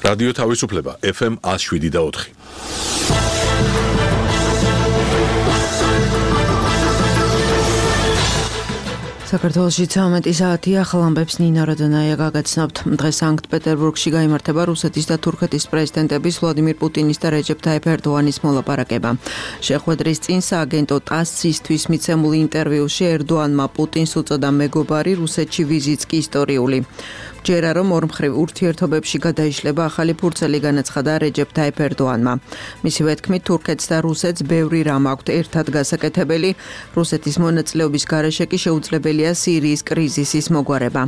რადიო თავისუფლება FM 107.4. საქართველოში 13 საათი ახალ ამბებს ნინა როდონაია გაგაცნობთ. დღეს სანქტ-პეტერბურგში გაიმართება რუსეთის და თურქეთის პრეზიდენტების ვლადიმირ პუტინის და რეჯეფ თაიფ ერდოანის მოლაპარაკება. შეხვედრის წინ სააგენტო ტასსისთვის მიცემულ ინტერვიუში ერდოანმა პუტინს უწოდა მეგობარი, რუსეთში ვიზიტს კი ისტორიული. ჯერა რომ ორმხრივ ურთიერთობებში გადაიშლება ახალი ფურცელი განაცხადა რეჯეფ თაიფ ერდოანმა. მისივე თქმით, თურქეთს და რუსეთს ბევრი რამ აქვთ ერთად გასაკეთებელი, რუსეთის მონაწილეობის გარეშე კი შეუძლებელია სირიის კრიზისის მოგვარება.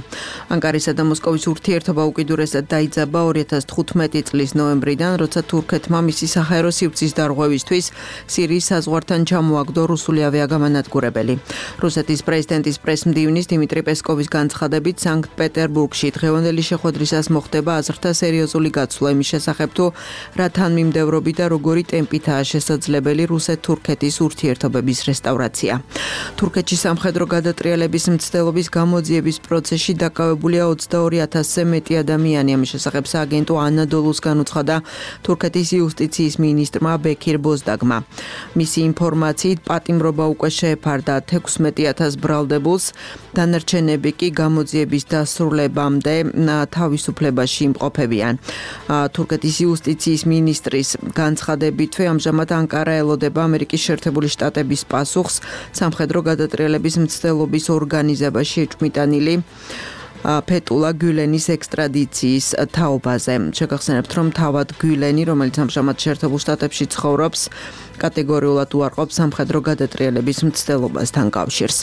ანკარისა და მოსკოვის ურთიერთობა უკიდურესად დაიძაბა 2015 წლის ნოემბრიდან, როცა თურქეთმა მისი საჰაერო სივრცის დარღვევისთვის სირიის საზღვართან ჩამოაგდო რუსული ავიაგამანადგურებელი. რუსეთის პრეზიდენტის პრესმდივნის დიმიტრი პესკოვის განცხადებით, სანქტ-პეტერბურგში დღევანდელი შეხვედრისას მოხდება აზრთა სერიოზული გაცვლა იმის შესახებ, თუ რა თანმიმდევრობით და როგორი ტემპითაა შესაძლებელი რუსეთ-თურქეთის ურთიერთობების რესტავრაცია. თურქეთში სამხედრო გადატრიალების მცდელობის გამოძიების პროცესში დაკავებულია 22,000-ზე მეტი ადამიანი. ამის შესახებ სააგენტო ანადოლუს განუცხადა თურქეთის იუსტიციის მინისტრმა ბექირ ბოზდაგმა. მისი ინფორმაციით, პატიმრობა უკვე შეეფარდა 16,000 ბრალდებულს, დანარჩენები კი გამოძიების დასრულებამდე თავისუფლებაში იმყოფებიან. თურქეთის იუსტიციის მინისტრის განცხადებითვე ამჟამად ანკარა ელოდება ამერიკის შეერთებული შტატების პასუხს სამხედრო გადატრიალების მცდელობის ორგანიზებაში ეჭვმიტანილი ფეტულა გულენის ექსტრადიციის თაობაზე. შეგახსენებთ, რომ თავად გულენი, რომელიც ამჟამად შეერთებულ შტატებში ცხოვრობს, კატეგორიულად უარყოფს სამხედრო გადატრიალების მცდელობასთან კავშირს.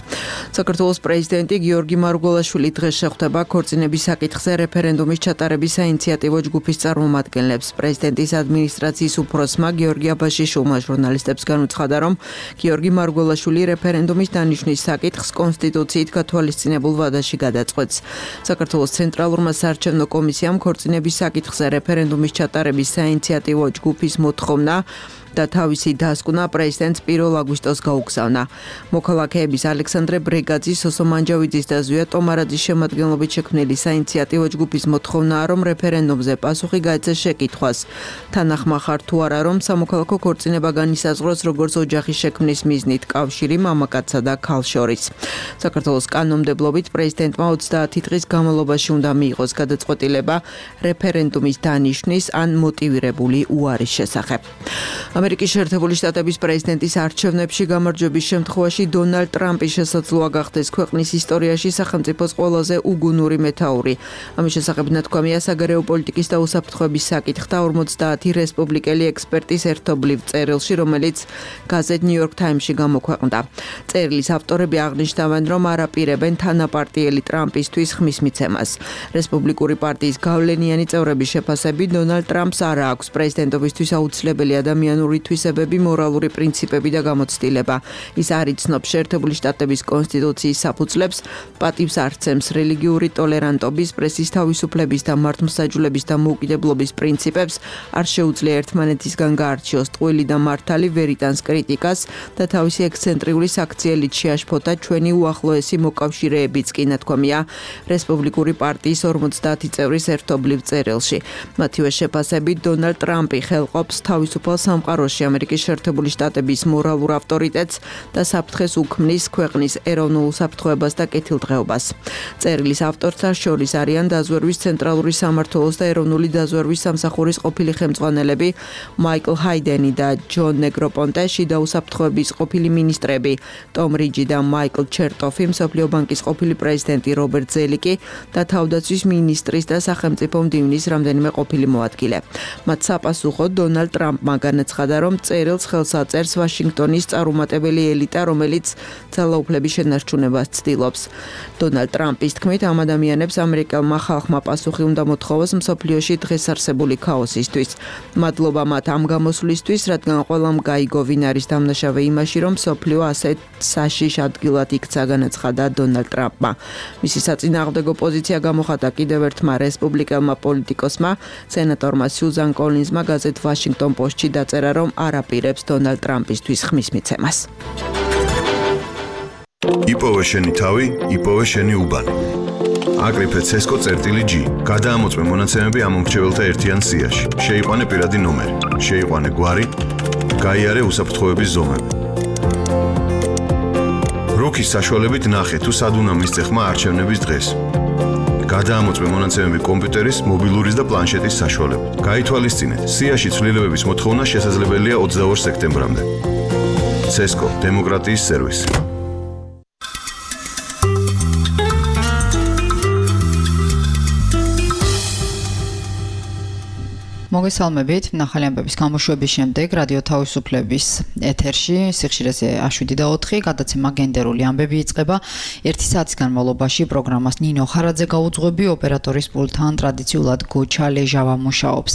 საქართველოს პრეზიდენტი გიორგი მარგველაშვილი დღეს შეხვდება ქორწინების საკითხზე რეფერენდუმის ჩატარების საინიციატივო ჯგუფის წარმომადგენლებს. პრეზიდენტის ადმინისტრაციის უფროსმა გიორგი აბაშიშვილმა ჟურნალისტებს განუცხადა, რომ გიორგი მარგველაშვილი რეფერენდუმის დანიშვნის საკითხს კონსტიტუციით გათვალისწინებულ ვადაში გადაწყვეტს. საქართველოს ცენტრალურმა საარჩევნო კომისიამ ქორწინების საკითხზე რეფერენდუმის ჩატარების საინიციატივო ჯგუფის მოთხოვნა და თავისი დასკვნა პრეზიდენტს 1 აგვისტოს გაუგზავნა. მოქალაქეების ალექსანდრე ბრეგაძის, სოსო მანჯავიძის და ზვია ტომარაძის შემადგენლობით შექმნილი საინიციატივო ჯგუფის მოთხოვნაა, რომ რეფერენდუმზე პასუხი გაეცეს შეკითხვას. თანახმა ხარ თუ არა, რომ სამოქალაქო ქორწინება განისაზღვროს როგორც ოჯახის შექმნის მიზნით კავშირი მამაკაცსა და ქალს შორის. საქართველოს კანონმდებლობით პრეზიდენტმა 30 დღის განმავლობაში უნდა მიიღოს გადაწყვეტილება რეფერენდუმის დანიშვნის ან მოტივირებული უარის შესახებ. ამერიკის შეერთებული შტატების პრეზიდენტის არჩევნებში გამარჯვების შემთხვევაში დონალდ ტრამპი შესაძლოა გახდეს ქვეყნის ისტორიაში სახელმწიფოს ყველაზე უგუნური მეთაური. ამის შესახებ ნათქვამია საგარეო პოლიტიკის და უსაფრთხოების საკითხთა 50 რესპუბლიკელი ექსპერტის ერთობლივ წერილში, რომელიც გაზეთ New York Times-ში გამოქვეყნდა. წერილის ავტორები აღნიშნავენ, რომ არ აპირებენ თანაპარტიელი ტრამპისთვის ხმის მიცემას. რესპუბლიკური პარტიის გავლენიანი წევრების შეფასებით, დონალდ ტრამპს არ აქვს პრეზიდენტობისთვის აუცილებელი ადამიანური თვისებები, მორალური პრინციპები და გამოცდილება. ის არ იცნობს შეერთებული შტატების კონსტიტუციის საფუძვლებს, პატივს არ სცემს რელიგიური ტოლერანტობის, პრესის თავისუფლების და მართლმსაჯულების და მოუკიდებლობის პრინციპებს, არ შეუძლია ერთმანეთისგან გაარჩიოს ტყუილი და მართალი, ვერ იტანს კრიტიკას და თავისი ექსცენტრიული საქციელით შეაშფოთა ჩვენი უახლოესი მოკავშირეებიც კი, ნათქვამია რესპუბლიკური პარტიის 50 წევრის ერთობლივ წერილში. მათივე შეფასებით, დონალდ ტრამპი ხელყოფს თავისუფალ სამყაროში ამერიკის შეერთებული შტატების მორალურ ავტორიტეტს და საფრთხეს უქმნის ქვეყნის ეროვნულ უსაფრთხოებას და კეთილდღეობას. წერილის ავტორთა შორის არიან დაზვერვის ცენტრალური სამმართველოს და ეროვნული დაზვერვის სამსახურის ყოფილი ხელმძღვანელები მაიკლ ჰაიდენი და ჯონ ნეგროპონტე, შიდა უსაფრთხოების ყოფილი მინისტრები ტომ რიჯი და მაიკლ ჩერტოფი, მსოფლიო ბანკის ყოფილი პრეზიდენტი რობერტ ზელიკი და თავდაცვის მინისტრის და სახელმწიფო მდივნის რამდენიმე ყოფილი მოადგილე. მათ საპასუხოდ დონალდ ტრამპმა განაცხადა, რომ წერილს ხელს აწერს ვაშინგტონის წარუმატებელი ელიტა, რომელიც ძალაუფლების შენარჩუნებას ცდილობს. დონალდ ტრამპის თქმით, ამ ადამიანებს ამერიკელმა ხალხმა პასუხი უნდა მოთხოვოს მსოფლიოში დღეს არსებული ქაოსისთვის. მადლობა მათ ამ გამოსვლისთვის, რადგან ყველამ გაიგო, ვინ არის დამნაშავე იმაში, რომ მსოფლიო ასეთ საშიშ ადგილად იქცა, განაცხადა დონალდ ტრამპმა. მისი საწინააღმდეგო პოზიცია გამოხატა კიდევ ერთმა რესპუბლიკელმა პოლიტიკოსმა, სენატორმა სიუზან კოლინზმა გაზეთ ვაშინგტონ პოსტში დაწერა, რომ არ აპირებს დონალდ ტრამპისთვის ხმის მიცემას. იპოვე შენი თავი, იპოვე შენი უბანი. აკრიფე CESCO.G. გადაამოწმე მონაცემები ამ მომრჩეველთა ერთიან სიაში. შეიყვანე პირადი ნომერი, შეიყვანე გვარი, გაიარე უსაფრთხოების ზომები. რუქის საშუალებით ნახე თუ სად უნდა მისცე ხმა არჩევნების დღეს. გადაამოწმე მონაცემები კომპიუტერის, მობილურის და პლანშეტის საშუალებით. გაითვალისწინეთ, სიაში ცვლილებების მოთხოვნა შესაძლებელია 22 სექტემბრამდე. CESCO დემოკრატიის სერვისი. მოგესალმებით, ნახალი ამბების გამოშვების შემდეგ რადიო თავისუფლების ეთერში სიხშირეზე 7:04 გადაცემა გენდერული ამბები იწყება. 1 საათის განმავლობაში პროგრამას ნინო ხარაძე გაუძღვები, ოპერატორის პულტთან ტრადიციულად გოჩა ლეჟავა მუშაობს.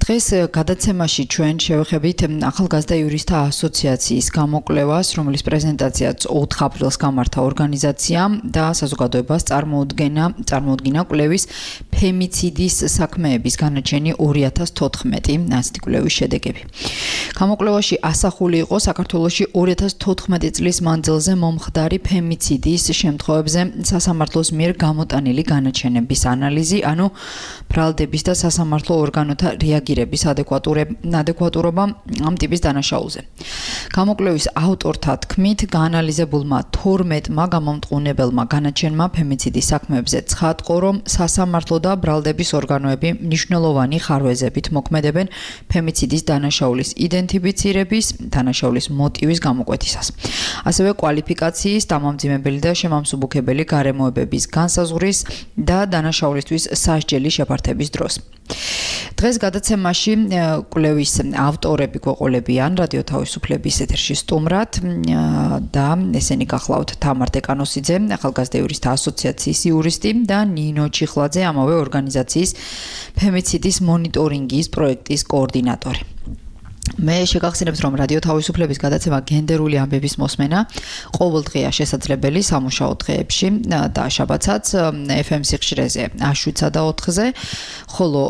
დღეს გადაცემაში ჩვენ შევეხებით ახალგაზრდა იურისტთა ასოციაციის გამოკვლევას, რომლის პრეზენტაციაც 4 აპრილს გამართა ორგანიზაციამ და საზოგადოებას წარმოუდგინა კვლევის ფემიციდის საქმეების განაჩენი 2014 ასეთი კვლევის შედეგები. გამოკვლევაში ასახული იყო საქართველოში 2014 წლის მანძილზე მომხდარი ფემიციდის შემთხვევებზე სასამართლოს მიერ გამოტანილი განაჩენების ანალიზი, ანუ ბრალდების და სასამართლო ორგანოთა რეაგირების ადეკვატურობა ამ ტიპის დანაშაულზე. გამოკვლევის ავტორთა თქმით, გაანალიზებულმა 12-მა გამომტყუნებელმა განაჩენმა ფემიციდის საქმეებზე ცხადყო, რომ სასამართლო და ბრალდების ორგანოები მნიშვნელოვანი ხარვეზებით მოქმედებენ ფემიციდის დანაშაულის იდენტიფიცირების, დანაშაულის მოტივის გამოკვეთისას. ასევე კვალიფიკაციის, დამამძიმებელი და შემამსუბუქებელი გარემოებების განსაზღვრის და დანაშაულისთვის სასჯელი შეფართების დროს. დღეს გადაცემაში კვლევის ავტორები გვეყოლებიან რადიო თავისუფლების ეთერში სტუმრად და ესენი გახლავთ თამარ დეკანოსიძე, ახალგაზრდა იურისტთა ასოციაციის იურისტი და ნინო ჩიხლაძე, ამავე ორგანიზაციის ფემიციდის მონიტორინგის პროექტის კოორდინატორი. მე შეგახსენებთ, რომ რადიო თავისუფლების გადაცემა გენდერული ამბების მოსმენა ყოველდღეა შესაძლებელი სამუშაო დღეებში და შაბათსაც FM სიხშირეზე 7:04-ზე, ხოლო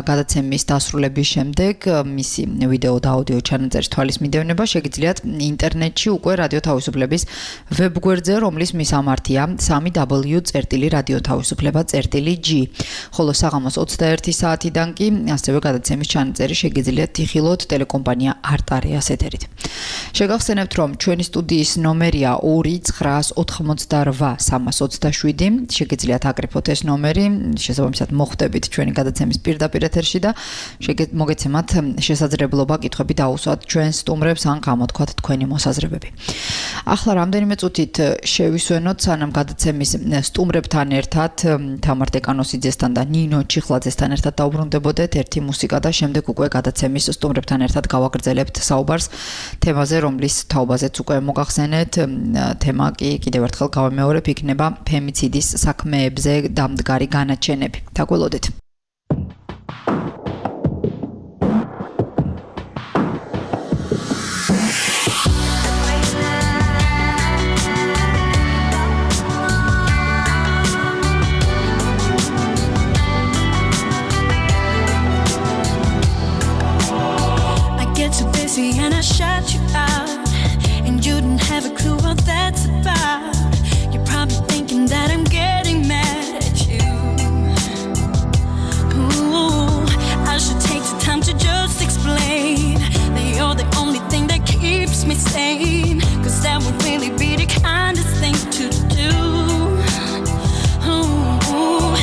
გადაცემის დასრულების შემდეგ მისი ვიდეო და აუდიო ჩანაწერის თვალის მიდევნება შეგიძლიათ ინტერნეტში უკვე რადიო თავისუფლების ვებგვერდზე, რომლის მისამართია www.radiotavisufleba.g. ხოლო საღამოს 21 საათიდან კი ასევე გადაცემის ჩანაწერი შეგიძლიათ იხილოთ კომპანია არტარეას ეთერით. შეგახსენებთ, რომ ჩვენი სტუდიის ნომერია 2988327. შეგიძლიათ აკრიფოთ ეს ნომერი, შესაბამისად მოხვდებით ჩვენი გადაცემის პირდაპირ ეთერში და მოგეცემათ შესაძლებლობა კითხვები დაუსვათ ჩვენს სტუმრებს ან გამოთქვათ თქვენი მოსაზრებები. ახლა რამდენიმე წუთით შევისვენოთ სანამ გადაცემის სტუმრებთან ერთად თამარ დეკანოსიძესთან და ნინო ჩიხლაძესთან ერთად დაუბრუნდებოდეთ ერთი მუსიკა და შემდეგ უკვე გადაცემის სტუმრებთან ერთად გავაგრძელებთ საუბარს თემაზე, რომლის თაობაზეც უკვე მოგახსენეთ. თემა კი კიდევ ერთხელ გავამეორებ, იქნება ფემიციდის საქმეებზე დამდგარი განაჩენები. დაგველოდეთ. And I shut you out, and you didn't have a clue what that's about. You're probably thinking that I'm getting mad at you. Ooh, I should take the time to just explain that you're the only thing that keeps me sane, 'cause that would really be the kindest thing to do. Ooh,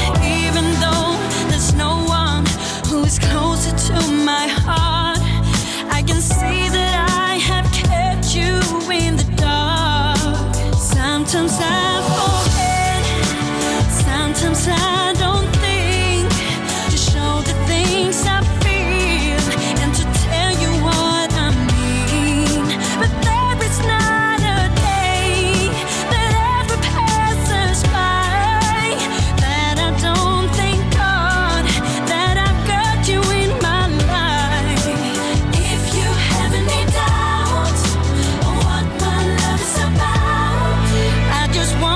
even though there's no one who is closer to my heart, I can see that I have kept you in the dark. Sometimes I forget, sometimes I don't think to show the things I feel and to tell you what I mean. But there is not a day that ever passes by that I don't thank God that I've got you in my life. If you have any doubt on what my love is about, I just want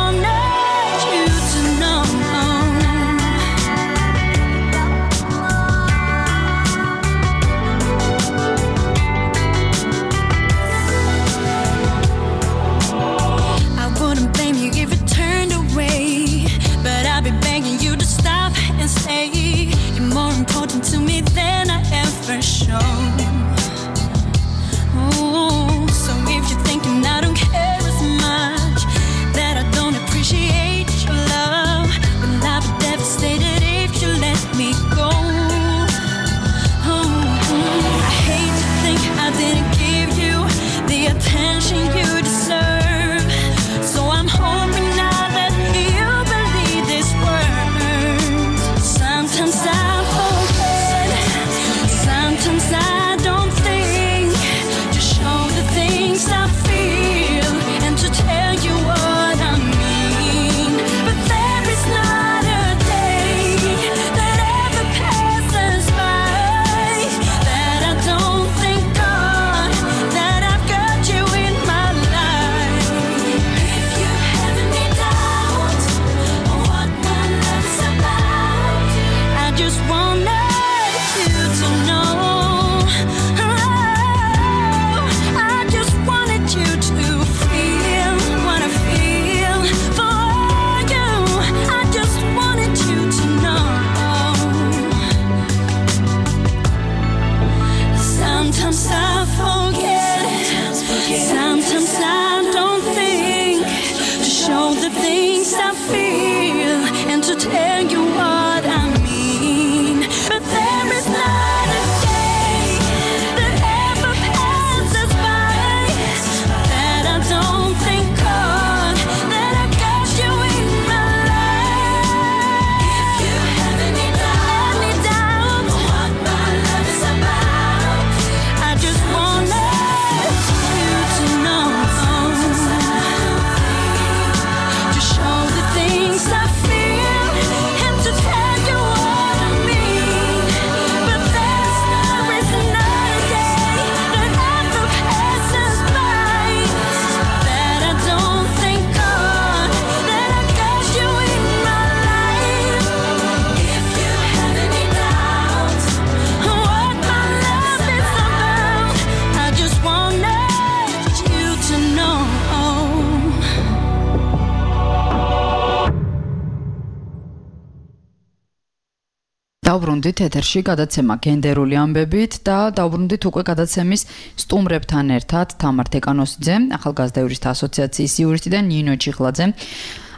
დავბრუნდით ეთერში გადაცემა გენდერული ამბებით და დავბრუნდით უკვე გადაცემის სტუმრებთან ერთად თამარ თეკანოსიძე, ახალგაზრდა იურისტთა ასოციაციის იურისტი და ნინო ჩიხლაძე,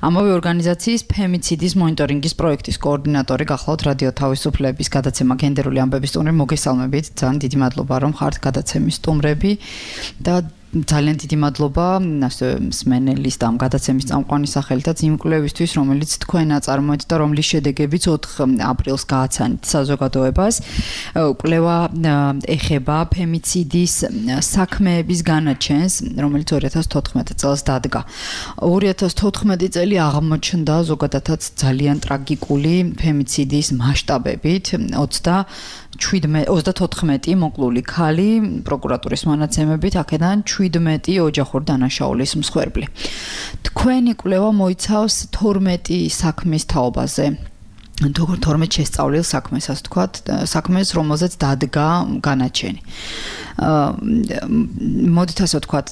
ამავე ორგანიზაციის ფემიციდის მონიტორინგის პროექტის კოორდინატორი. გახლავთ რადიო თავისუფლების გადაცემა გენდერული ამბების სტუმრები. მოგესალმებით, ძალიან დიდი მადლობა რომ ხართ გადაცემის სტუმრები და ძალიან დიდი მადლობა მსმენელის და ამ გადაცემის წამყვანის სახელითაც იმ კვლევისთვის, რომელიც თქვენ აწარმოეთ და რომლის შედეგებიც 4 აპრილს გააცანით საზოგადოებას. კვლევა ეხება ფემიციდის საქმეების განაჩენს, რომელიც 2014 წელს დადგა. 2014 წელი აღმოჩნდა ზოგადადაც ძალიან ტრაგიკული ფემიციდის მასშტაბებით. 34 მოკლული ქალი პროკურატურის მონაცემებით, აქედან 17 ოჯახური დანაშაულის მსხვერპლი. თქვენი კვლევა მოიცავს 12 საქმის თაობაზე. 12 შესწავლილ საქმეს, ასე ვთქვათ, საქმეს, რომელზეც დადგა განაჩენი. მოდით ასე ვთქვათ,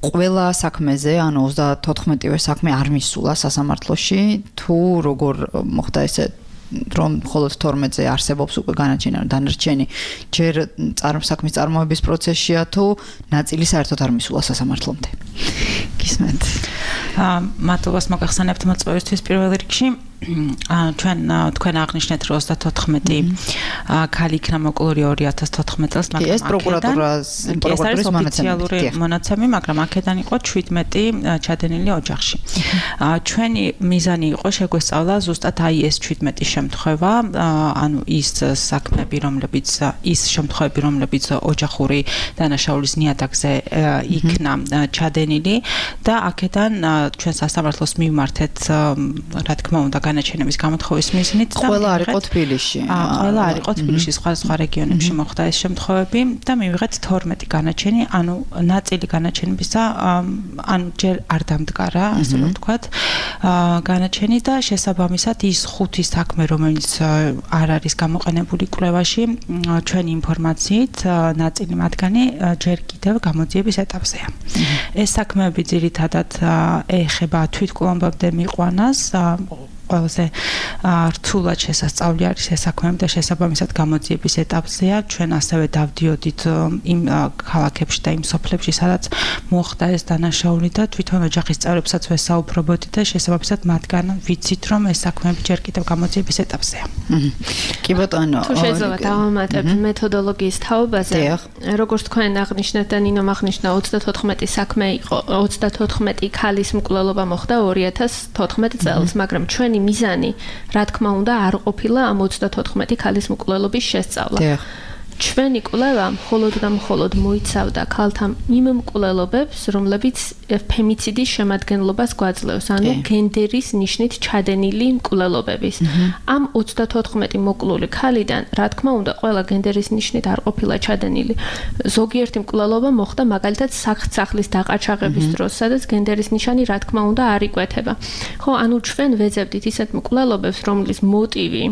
ყველა საქმეზე, ანუ 34-ვე საქმე არ მისულა სასამართლოში, თუ როგორ მოხდა ესე რომ მხოლოდ 12-ზე არსებობს უკვე განაჩენი, ანუ დანარჩენი ჯერ საქმის წარმოების პროცესშია თუ ნაწილი საერთოდ არ მისულა სასამართლომდე. გისმენთ. მადლობას მოგახსენებთ მოწვევისთვის პირველ რიგში. თქვენ აღნიშნეთ, რომ 34 ქალი იქნა მოკლული 2014 წელს, მაგრამ ეს პროკურატურის ოფიციალური მონაცემი, მაგრამ აქედან იყო 17 ჩადენილი ოჯახში. ჩვენი მიზანი იყო შეგვესწავლა ზუსტად აი ეს 17 შემთხვევა, ანუ ის საქმეები, რომლებიც ოჯახური დანაშაულის ნიადაგზე იქნა ჩადენილი და აქედან ჩვენ სასამართლოს მივმართეთ, რა თქმა უნდა, განაჩენების გამოთხოვის მიზნით და ყველა არ იყო თბილისში. ყველა არ იყო თბილისში, სხვა რეგიონებში მოხდა ეს შემთხვევები და მივიღეთ 12 განაჩენი, ანუ ნაწილი განაჩენებისა, ანუ ჯერ არ დამდგარა, ასე რომ ვთქვათ, განაჩენი და შესაბამისად ის 5 საქმე, რომელიც არ არის გამოყენებული კვლევაში, ჩვენი ინფორმაციით ნაწილი მათგანი ჯერ კიდევ გამოძიების ეტაპზეა. ეს საქმეები ძირითადად ეხება თვითმკვლელობამდე მიყვანას, ყველაზე რთულად შესასწავლი არის ეს საქმეები და შესაბამისად გამოძიების ეტაპზეა. ჩვენ ასევე დავდიოდით იმ ქალაქებში და იმ სოფლებში, სადაც მოხდა ეს დანაშაული და თვითონ ოჯახის წევრებსაც ვესაუბრობოდით და შესაბამისად მათგან ვიცით, რომ ეს საქმეები ჯერ კიდევ გამოძიების ეტაპზეა. კი ბატონო, თუ შეიძლება დავამატებ მეთოდოლოგიის თაობაზე, როგორც თქვენ აღნიშნეთ და ნინომ აღნიშნა, 34 საქმე იყო, 34 ქალის მკვლელობა მოხდა 2014 წელს, მაგრამ ჩვენი მიზანი, რა თქმა უნდა, არ ყოფილა ამ 34 ქალის მკვლელობის შესწავლა. ჩვენი კვლევა მხოლოდ და მხოლოდ მოიცავდა ქალთა იმ მკვლელობებს, რომლებიც ფემიციდის შემადგენლობას გვაძლევს, ანუ გენდერის ნიშნით ჩადენილი მკვლელობების. ამ 34 მოკლული ქალიდან, რა თქმა უნდა, ყველა გენდერის ნიშნით არ ყოფილა ჩადენილი. ზოგიერთი მკვლელობა მოხდა მაგალითად სახლის დაყაჩაღების დროს, სადაც გენდერის ნიშანი, რა თქმა უნდა, არ იკვეთება. ხო, ანუ ჩვენ ვეძებდით ისეთ მკვლელობებს, რომლის მოტივი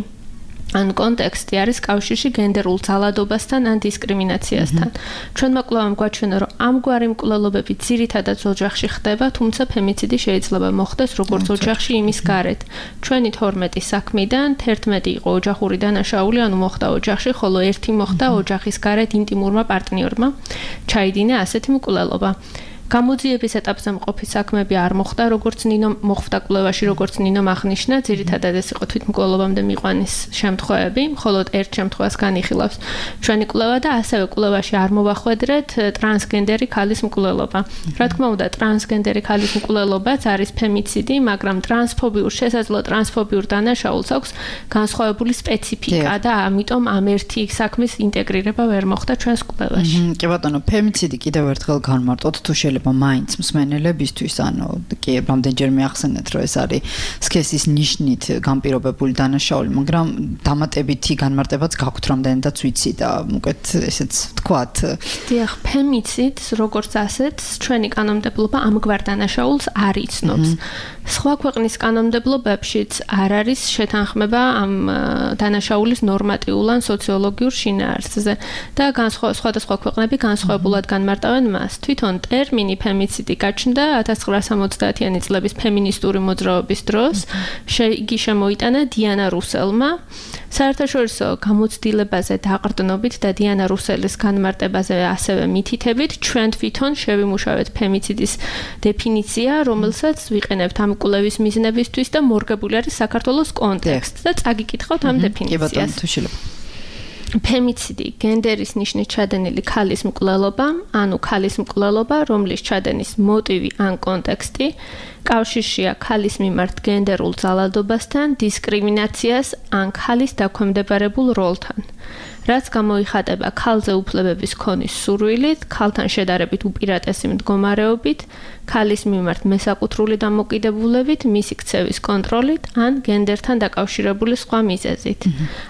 ან კონტექსტი არის კავშირში გენდერულ ძალადობასთან ან დისკრიმინაციასთან. ჩვენმა კვლევამ გვაჩვენა, რომ ამგვარი მკვლელობები ძირითადად ოჯახში ხდება, თუმცა ფემიციდი შეიძლება მოხდეს როგორც ოჯახში, იმის გარეთ. ჩვენი 12 საქმიდან 11 იყო ოჯახური დანაშაული, ანუ მოხდა ოჯახში, ხოლო 1 მოხდა ოჯახის გარეთ ინტიმურმა პარტნიორმა. ჩაიდინა ასეთი მკვლელობა. გამოძიების ეტაპზე მყოფი საქმეები არ მოხდა, როგორც ნინო მოხდა კვლევაში, როგორც ნინო აღნიშნა, ძირითადად ეს იყო თვითმკვლელობამდე მიყვანის შემთხვევები, მხოლოდ ერთ შემთხვევას განიხილავს ჩვენი კვლევა და ასევე კვლევაში არ მოვახვედრეთ ტრანსგენდერი ქალის მკვლელობა. რა თქმა უნდა, ტრანსგენდერი ქალის მკვლელობაც არის ფემიციდი, მაგრამ შესაძლო ტრანსფობიურ დანაშაულს აქვს განსხვავებული სპეციფიკა და ამიტომ ამ ერთი საქმის ინტეგრირება ვერ მოხდა ჩვენს კვლევაში. კი ბატონო, ფემიციდი კიდევ ერთხელ განმარტოთ, თუ მაინც მსმენელებისთვის, ანუ კი რამდენჯერმე ახსენეთ, რომ ეს არის სქესის ნიშნით განპირობებული დანაშაული, მაგრამ დამატებითი განმარტებაც გაქვთ, რამდენადაც ვიცი და უკეთ ესეც ვთქვათ. დიახ, ფემიციდს როგორც ასეთს ჩვენი კანონმდებლობა ამგვარ დანაშაულს არ იცნობს. სხვა ქვეყნის კანონმდებლობებშიც არ არის შეთანხმება ამ დანაშაულის ნორმატიულ ან სოციოლოგიურ შინაარსზე და სხვადასხვა ქვეყნები განსხვავებულად განმარტავენ მას. თვითონ ტერმინი ტერმინი ფემიციდი გაჩნდა 1970-იანი წლების ფემინისტური მოძრაობის დროს. იგი შემოიტანა დიანა რუსელმა. საერთაშორისო გამოცდილებაზე დაყრდნობით და დიანა რუსელის განმარტებაზე ასევე მითითებით, ჩვენ თვითონ შევიმუშავეთ ფემიციდის დეფინიცია, რომელსაც ვიყენებთ ამ კვლევის მიზნებისთვის და მორგებული არის საქართველოს კონტექსტ და წაგიკითხავთ ამ დეფინიციას. ფემიციდი გენდერის ნიშნით ჩადენილი ქალის მკვლელობა, ანუ ქალის მკვლელობა, რომლის ჩადენის მოტივი ან კონტექსტი კავშირშია ქალის მიმართ გენდერულ ძალადობასთან, დისკრიმინაციას ან ქალის დაქვემდებარებულ როლთან. რაც გამოიხატება ქალზე უფლებების ქონის სურვილით, ქალთან შედარებით უპირატესი მდგომარეობით, ქალის მიმართ მესაკუთრული დამოკიდებულებით, მისი ქცევის კონტროლით ან გენდერთან დაკავშირებული სხვა მიზეზით.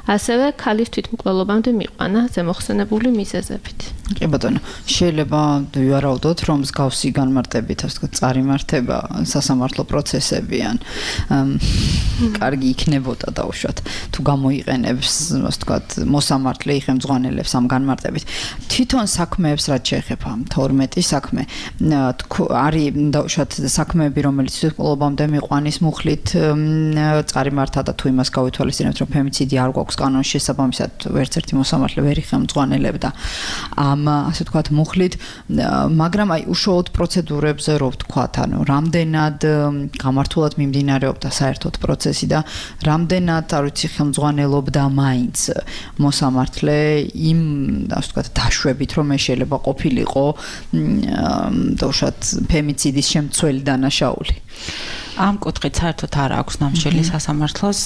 ასევე ქალის თვითმკვლელობამდე მიყვანა ზემოხსენებული მიზეზებით. კი ბატონო, შეიძლება ვივარაუდოთ, რომ მსგავსი განმარტებით, ასე ვთქვათ, წარიმართება სასამართლო პროცესები ან კარგი იქნებოდა დაუშვათ, თუ გამოიყენებს, ასე ვთქვათ, მოსამართლე იხემძღვანელებს ამ განმარტებით. თვითონ საქმეებს რაც შეეხება 12 საქმე, არის დაუშვათ საქმეები, რომელიც თვითმკვლელობამდე მიყვანის მუხლით წარიმართა და თუ იმას გავითვალისწინებთ, რომ ფემიციდი არ გვაქვს კანონის შესაბამისად, ვერც ერთი მოსამართლე ვერ იხემძღვანელებდა ამ ასე ვთქვათ მუხლით, მაგრამ აი უშუალოდ პროცედურებზე რო ვთქვათ, ანუ რამდენად გამართულად მიმდინარეობდა საერთოდ პროცესი და რამდენად არ ვიცი ხელმძღვანელობდა მაინც მოსამართლე იმ ასე ვთქვათ დაშვებით, რომ შეიძლება ყოფილიყო დაუშვათ ფემიციდის შემცველი დანაშაული. ამ კუთხით საერთოდ არ აქვს ნამსჯელი სასამართლოს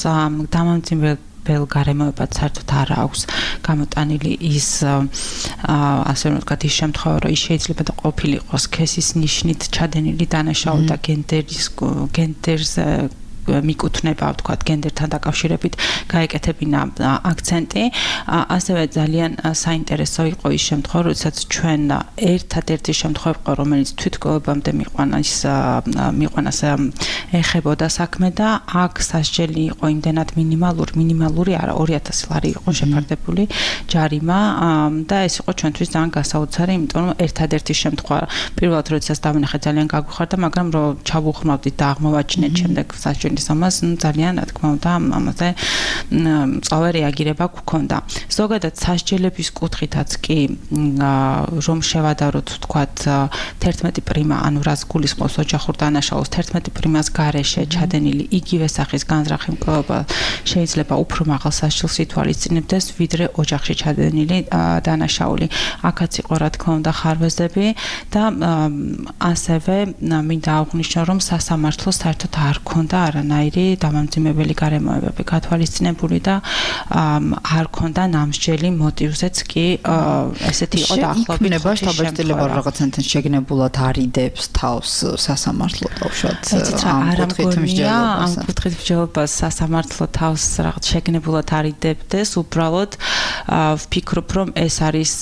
დამამძიმებელ გარემოებად საერთოდ არ აქვს გამოტანილი ის ასე ვთქვათ ის შემთხვევა, რომ ის შეიძლება და ყოფილიყო სქესის ნიშნით ჩადენილი დანაშაული და გენდერს მიკუთვნება, ვთქვათ, გენდერთან დაკავშირებით გაეკეთებინა აქცენტი. ასევე ძალიან საინტერესო იყო ის შემთხვევა, როდესაც ჩვენ ერთადერთი შემთხვევა იყო, რომელიც თვითმკვლელობამდე მიყვანას ეხებოდა საქმე და აქ სასჯელი იყო იმდენად მინიმალური არა 2000 ლარი იყო შეფარდებული ჯარიმა და ეს იყო ჩვენთვის ძალიან გასაოცარი, იმიტომ რომ ერთადერთი შემთხვევა პირველად როდესაც დავინახეთ ძალიან გაგვიხარდა, მაგრამ რომ ჩავუხმავდით და აღმოვაჩინეთ შემდეგ სასჯელი ამას ძალიან რა თქმა უნდა ამაზე მწვავე რეაგირება გვქონდა. ზოგადად სასჯელების კუთხითაც კი რომ შევადაროთ ვთქვათ 11 პრიმა, ანუ რაც გულისხმობს ოჯახურ დანაშაულს 11 პრიმას გარეშე ჩადენილი იგივე სახის განზრახი მკვლელობა შეიძლება უფრო მაღალ სასჯელს ითვალისწინებდეს, ვიდრე ოჯახში ჩადენილი დანაშაული. აქაც იყო რა თქმა უნდა ხარვეზები და ასევე მინდა აღვნიშნო, რომ სასამართლოს საერთოდ არ ქონდა არანაირი დამამძიმებელი გარემოებები გათვალისწინებული და არ ქონდა ნამსჯელი მოტივზეც კი ესეთი იყო დაახლოებით შთაბეჭდილება რაღაცნაირად შეგნებულად არიდებს თავს სასამართლო დაუშვათ ამ კუთხით მსჯელობას სასამართლო თავს რაღაც შეგნებულად არიდებდეს, უბრალოდ ვფიქრობ, რომ ეს არის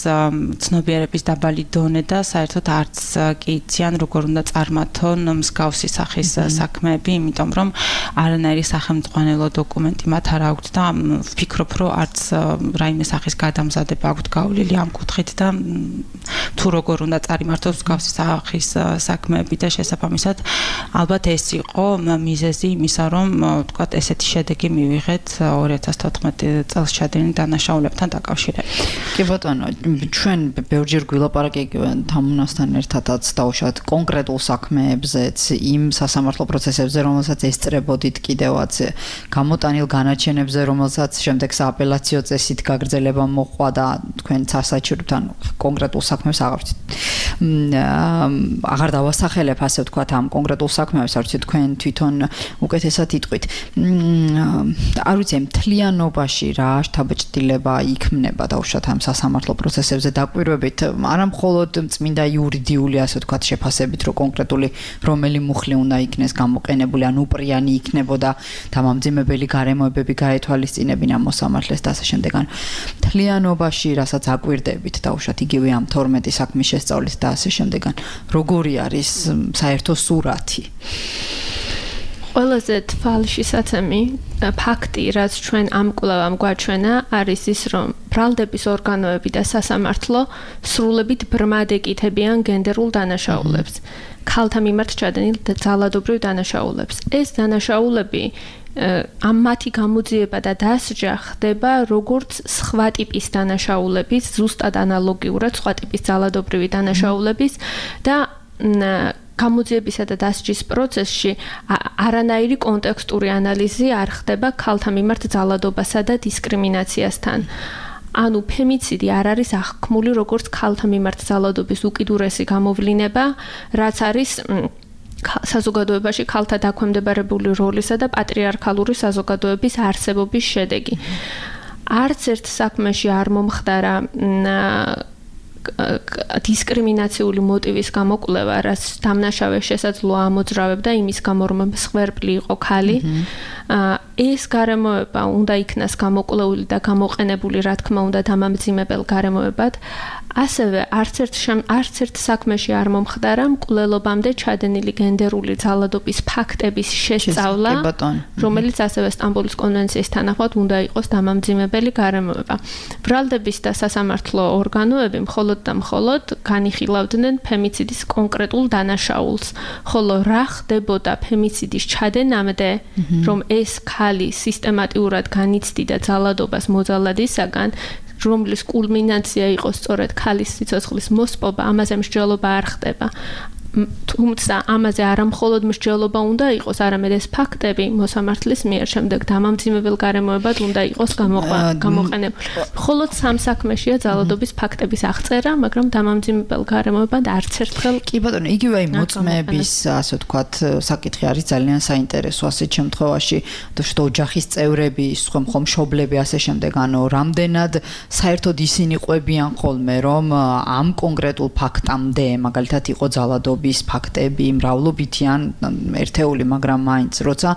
ცნობიერების დაბალი დონე და საერთოდ არც კი იციან როგორ უნდა წარმართონ მსგავსი სახის საქმეები, იმიტომ რომ არანაირი სახელმძღვანელო დოკუმენტი მათ არ აქვთ და ვფიქრობ, რომ არც რაიმე სახის გადამზადება აქვთ გავლილი ამ კუთხით და თუ როგორ უნდა წარიმართოს მსგავსი სახის საქმეები და შესაბამისად ალბათ ეს იყო მიზეზი იმისა, რომ ვთქვათ ესეთი შედეგი მივიღეთ 2014 წელს ჩადენილ დანაშაულებთან დაკავშირებით. კი ბატონო, ჩვენ ბევრჯერ გვილაპარაკებთ თამუნასთან ერთადაც დაუშვათ კონკრეტულ საქმეებზეც, იმ სასამართლო პროცესებზე, რომელსაც ესწრებოდით კიდევაც გამოტანილ განაჩენებზე, რომელსაც შემდეგ სააპელაციო წესით გაგრძელება მოყვა და თქვენ სასაჩუქრებთ, ანუ კონკრეტულ საქმეს აღარ დავასახელებ, ასე ვთქვათ, ამ კონკრეტულ საქმეებს, არ ვიცი თქვენ თვითონ უკეთესად იტყვით. არ ვიცი, მთლიანობაში რა შთაბეჭდილება იქმნება დაუშვათ ამ სასამართლო პროცესებზე დაკვირვებით, არა მხოლოდ წმინდა იურიდიული, ასე ვთქვათ, შეფასებით, რომ კონკრეტული რომელი მუხლი უნდა იქნეს გამოყენებული, ან უპრიანი იქნებოდა დამამძიმებელი გარემოებები გაეთვალისწინებინა მოსამართლეს და ასე შემდეგ. ან მთლიანობაში, რასაც აკვირდებით დაუშვათ იგივე ამ 12 საქმის შესწავლით და ასე შემდეგ. ან როგორი არის საერთო სურათი? ყველაზე თვალშისაცემი ფაქტი, რაც ჩვენ ამ კვლევამ გვაჩვენა, არის ის, რომ ბრალდების ორგანოები და სასამართლო სრულებით ბრმად ეკითებიან გენდერულ დანაშაულებს, ქალთა მიმართ ჩადენილ ძალადობრივ დანაშაულებს. ეს დანაშაულები ამ მათი გამოძიება და დასჯა ხდება როგორც სხვა ტიპის დანაშაულების, ზუსტად ანალოგიურად სხვა ტიპის ძალადობრივი დანაშაულების და გამოძიებისა და დასჯის პროცესში არანაირი კონტექსტური ანალიზი არ ხდება ქალთა მიმართ ძალადობასა და დისკრიმინაციასთან. ანუ ფემიციდი არ არის აღქმული როგორც ქალთა მიმართ ძალადობის უკიდურესი გამოვლინება, რაც არის საზოგადოებაში ქალთა დაქვემდებარებული როლისა და პატრიარქალური საზოგადოების არსებობის შედეგი. არც ერთ საქმეში არ მომხდარა დისკრიმინაციული მოტივის გამოკვლევა, რაც დამნაშავეს შესაძლოა ამოძრავებდა იმის გამო, რომ მსხვერპლი იყო ქალი. ეს გარემოება უნდა იქნას გამოკვლეული და გამოყენებული, რა თქმა უნდა, დამამძიმებელ გარემოებად. ასევე არც ერთ საქმეში არ მომხდარა მკვლელობამდე ჩადენილი გენდერული ძალადობის ფაქტების შესწავლა, რომელიც ასევე სტამბოლის კონვენციის თანახმად უნდა იყოს დამამძიმებელი გარემოება. ბრალდების და სასამართლო ორგანოები მხოლოდ და მხოლოდ განიხილავდნენ ფემიციდის კონკრეტულ დანაშაულს, ხოლო რა ხდებოდა ფემიციდის ჩადენამდე, რომ ეს ქალი სისტემატიურად განიცდიდა ძალადობას მოძალადისაგან, რომლის კულმინაცია იყო სწორედ ქალის სიცოცხლის მოსპობა, ამაზე მსჯელობა არ ხდება. თუმცა ამაზე არა მხოლოდ მსჯელობა უნდა იყოს, არამედ ეს ფაქტები მოსამართლის მიერ შემდეგ დამამძიმებელ გარემოებად უნდა იყოს გამოყენებული. მხოლოდ სამ საქმეშია ძალადობის ფაქტების აღწერა, მაგრამ დამამძიმებელ გარემოებად არც ერთხელ კი ბატონო, იგივე აი მოწმეების, ასე ვთქვათ, საკითხი არის ძალიან საინტერესო ასეთ შემთხვევაში, თუმცა ოჯახის წევრები, ხომ მშობლები ასე შემდეგ, ანუ რამდენად საერთოდ ისინი ყვებიან ხოლმე, რომ ამ კონკრეტულ ფაქტამდე, მაგალითად იყო ძალადობა ფაქტები მრავლობითი ან ერთეული, მაგრამ მაინც როცა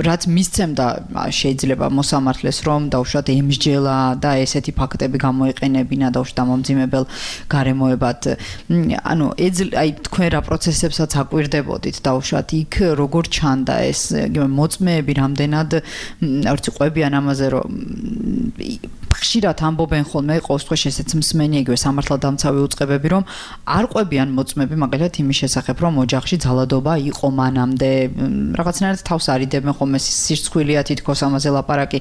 რაც მისცემდა შეიძლება მოსამართლეს რომ დაუშვათ ემსჯელა და ესეთი ფაქტები გამოიყენებინა დაუშვათ დამამძიმებელ გარემოებად. ანუ აი თქვენ რა პროცესებსაც აკვირდებოდით დაუშვათ იქ როგორ ჩანდა ეს მოწმეები რამდენად არც ყვებიან ამაზე რომ ხშირად ამბობენ ხოლმე ყოველ შემთხვევაში ესეც მსმენი იგივე სამართალდამცავი უწყებები რომ არ ყვებიან მოწმეები მაგალითად იმის შესახებ რომ ოჯახში ძალადობა იყო მანამდე რაღაცნაირად თავს არიდებენ ხოლმე სირცხვილია თითქოს ამაზე ლაპარაკი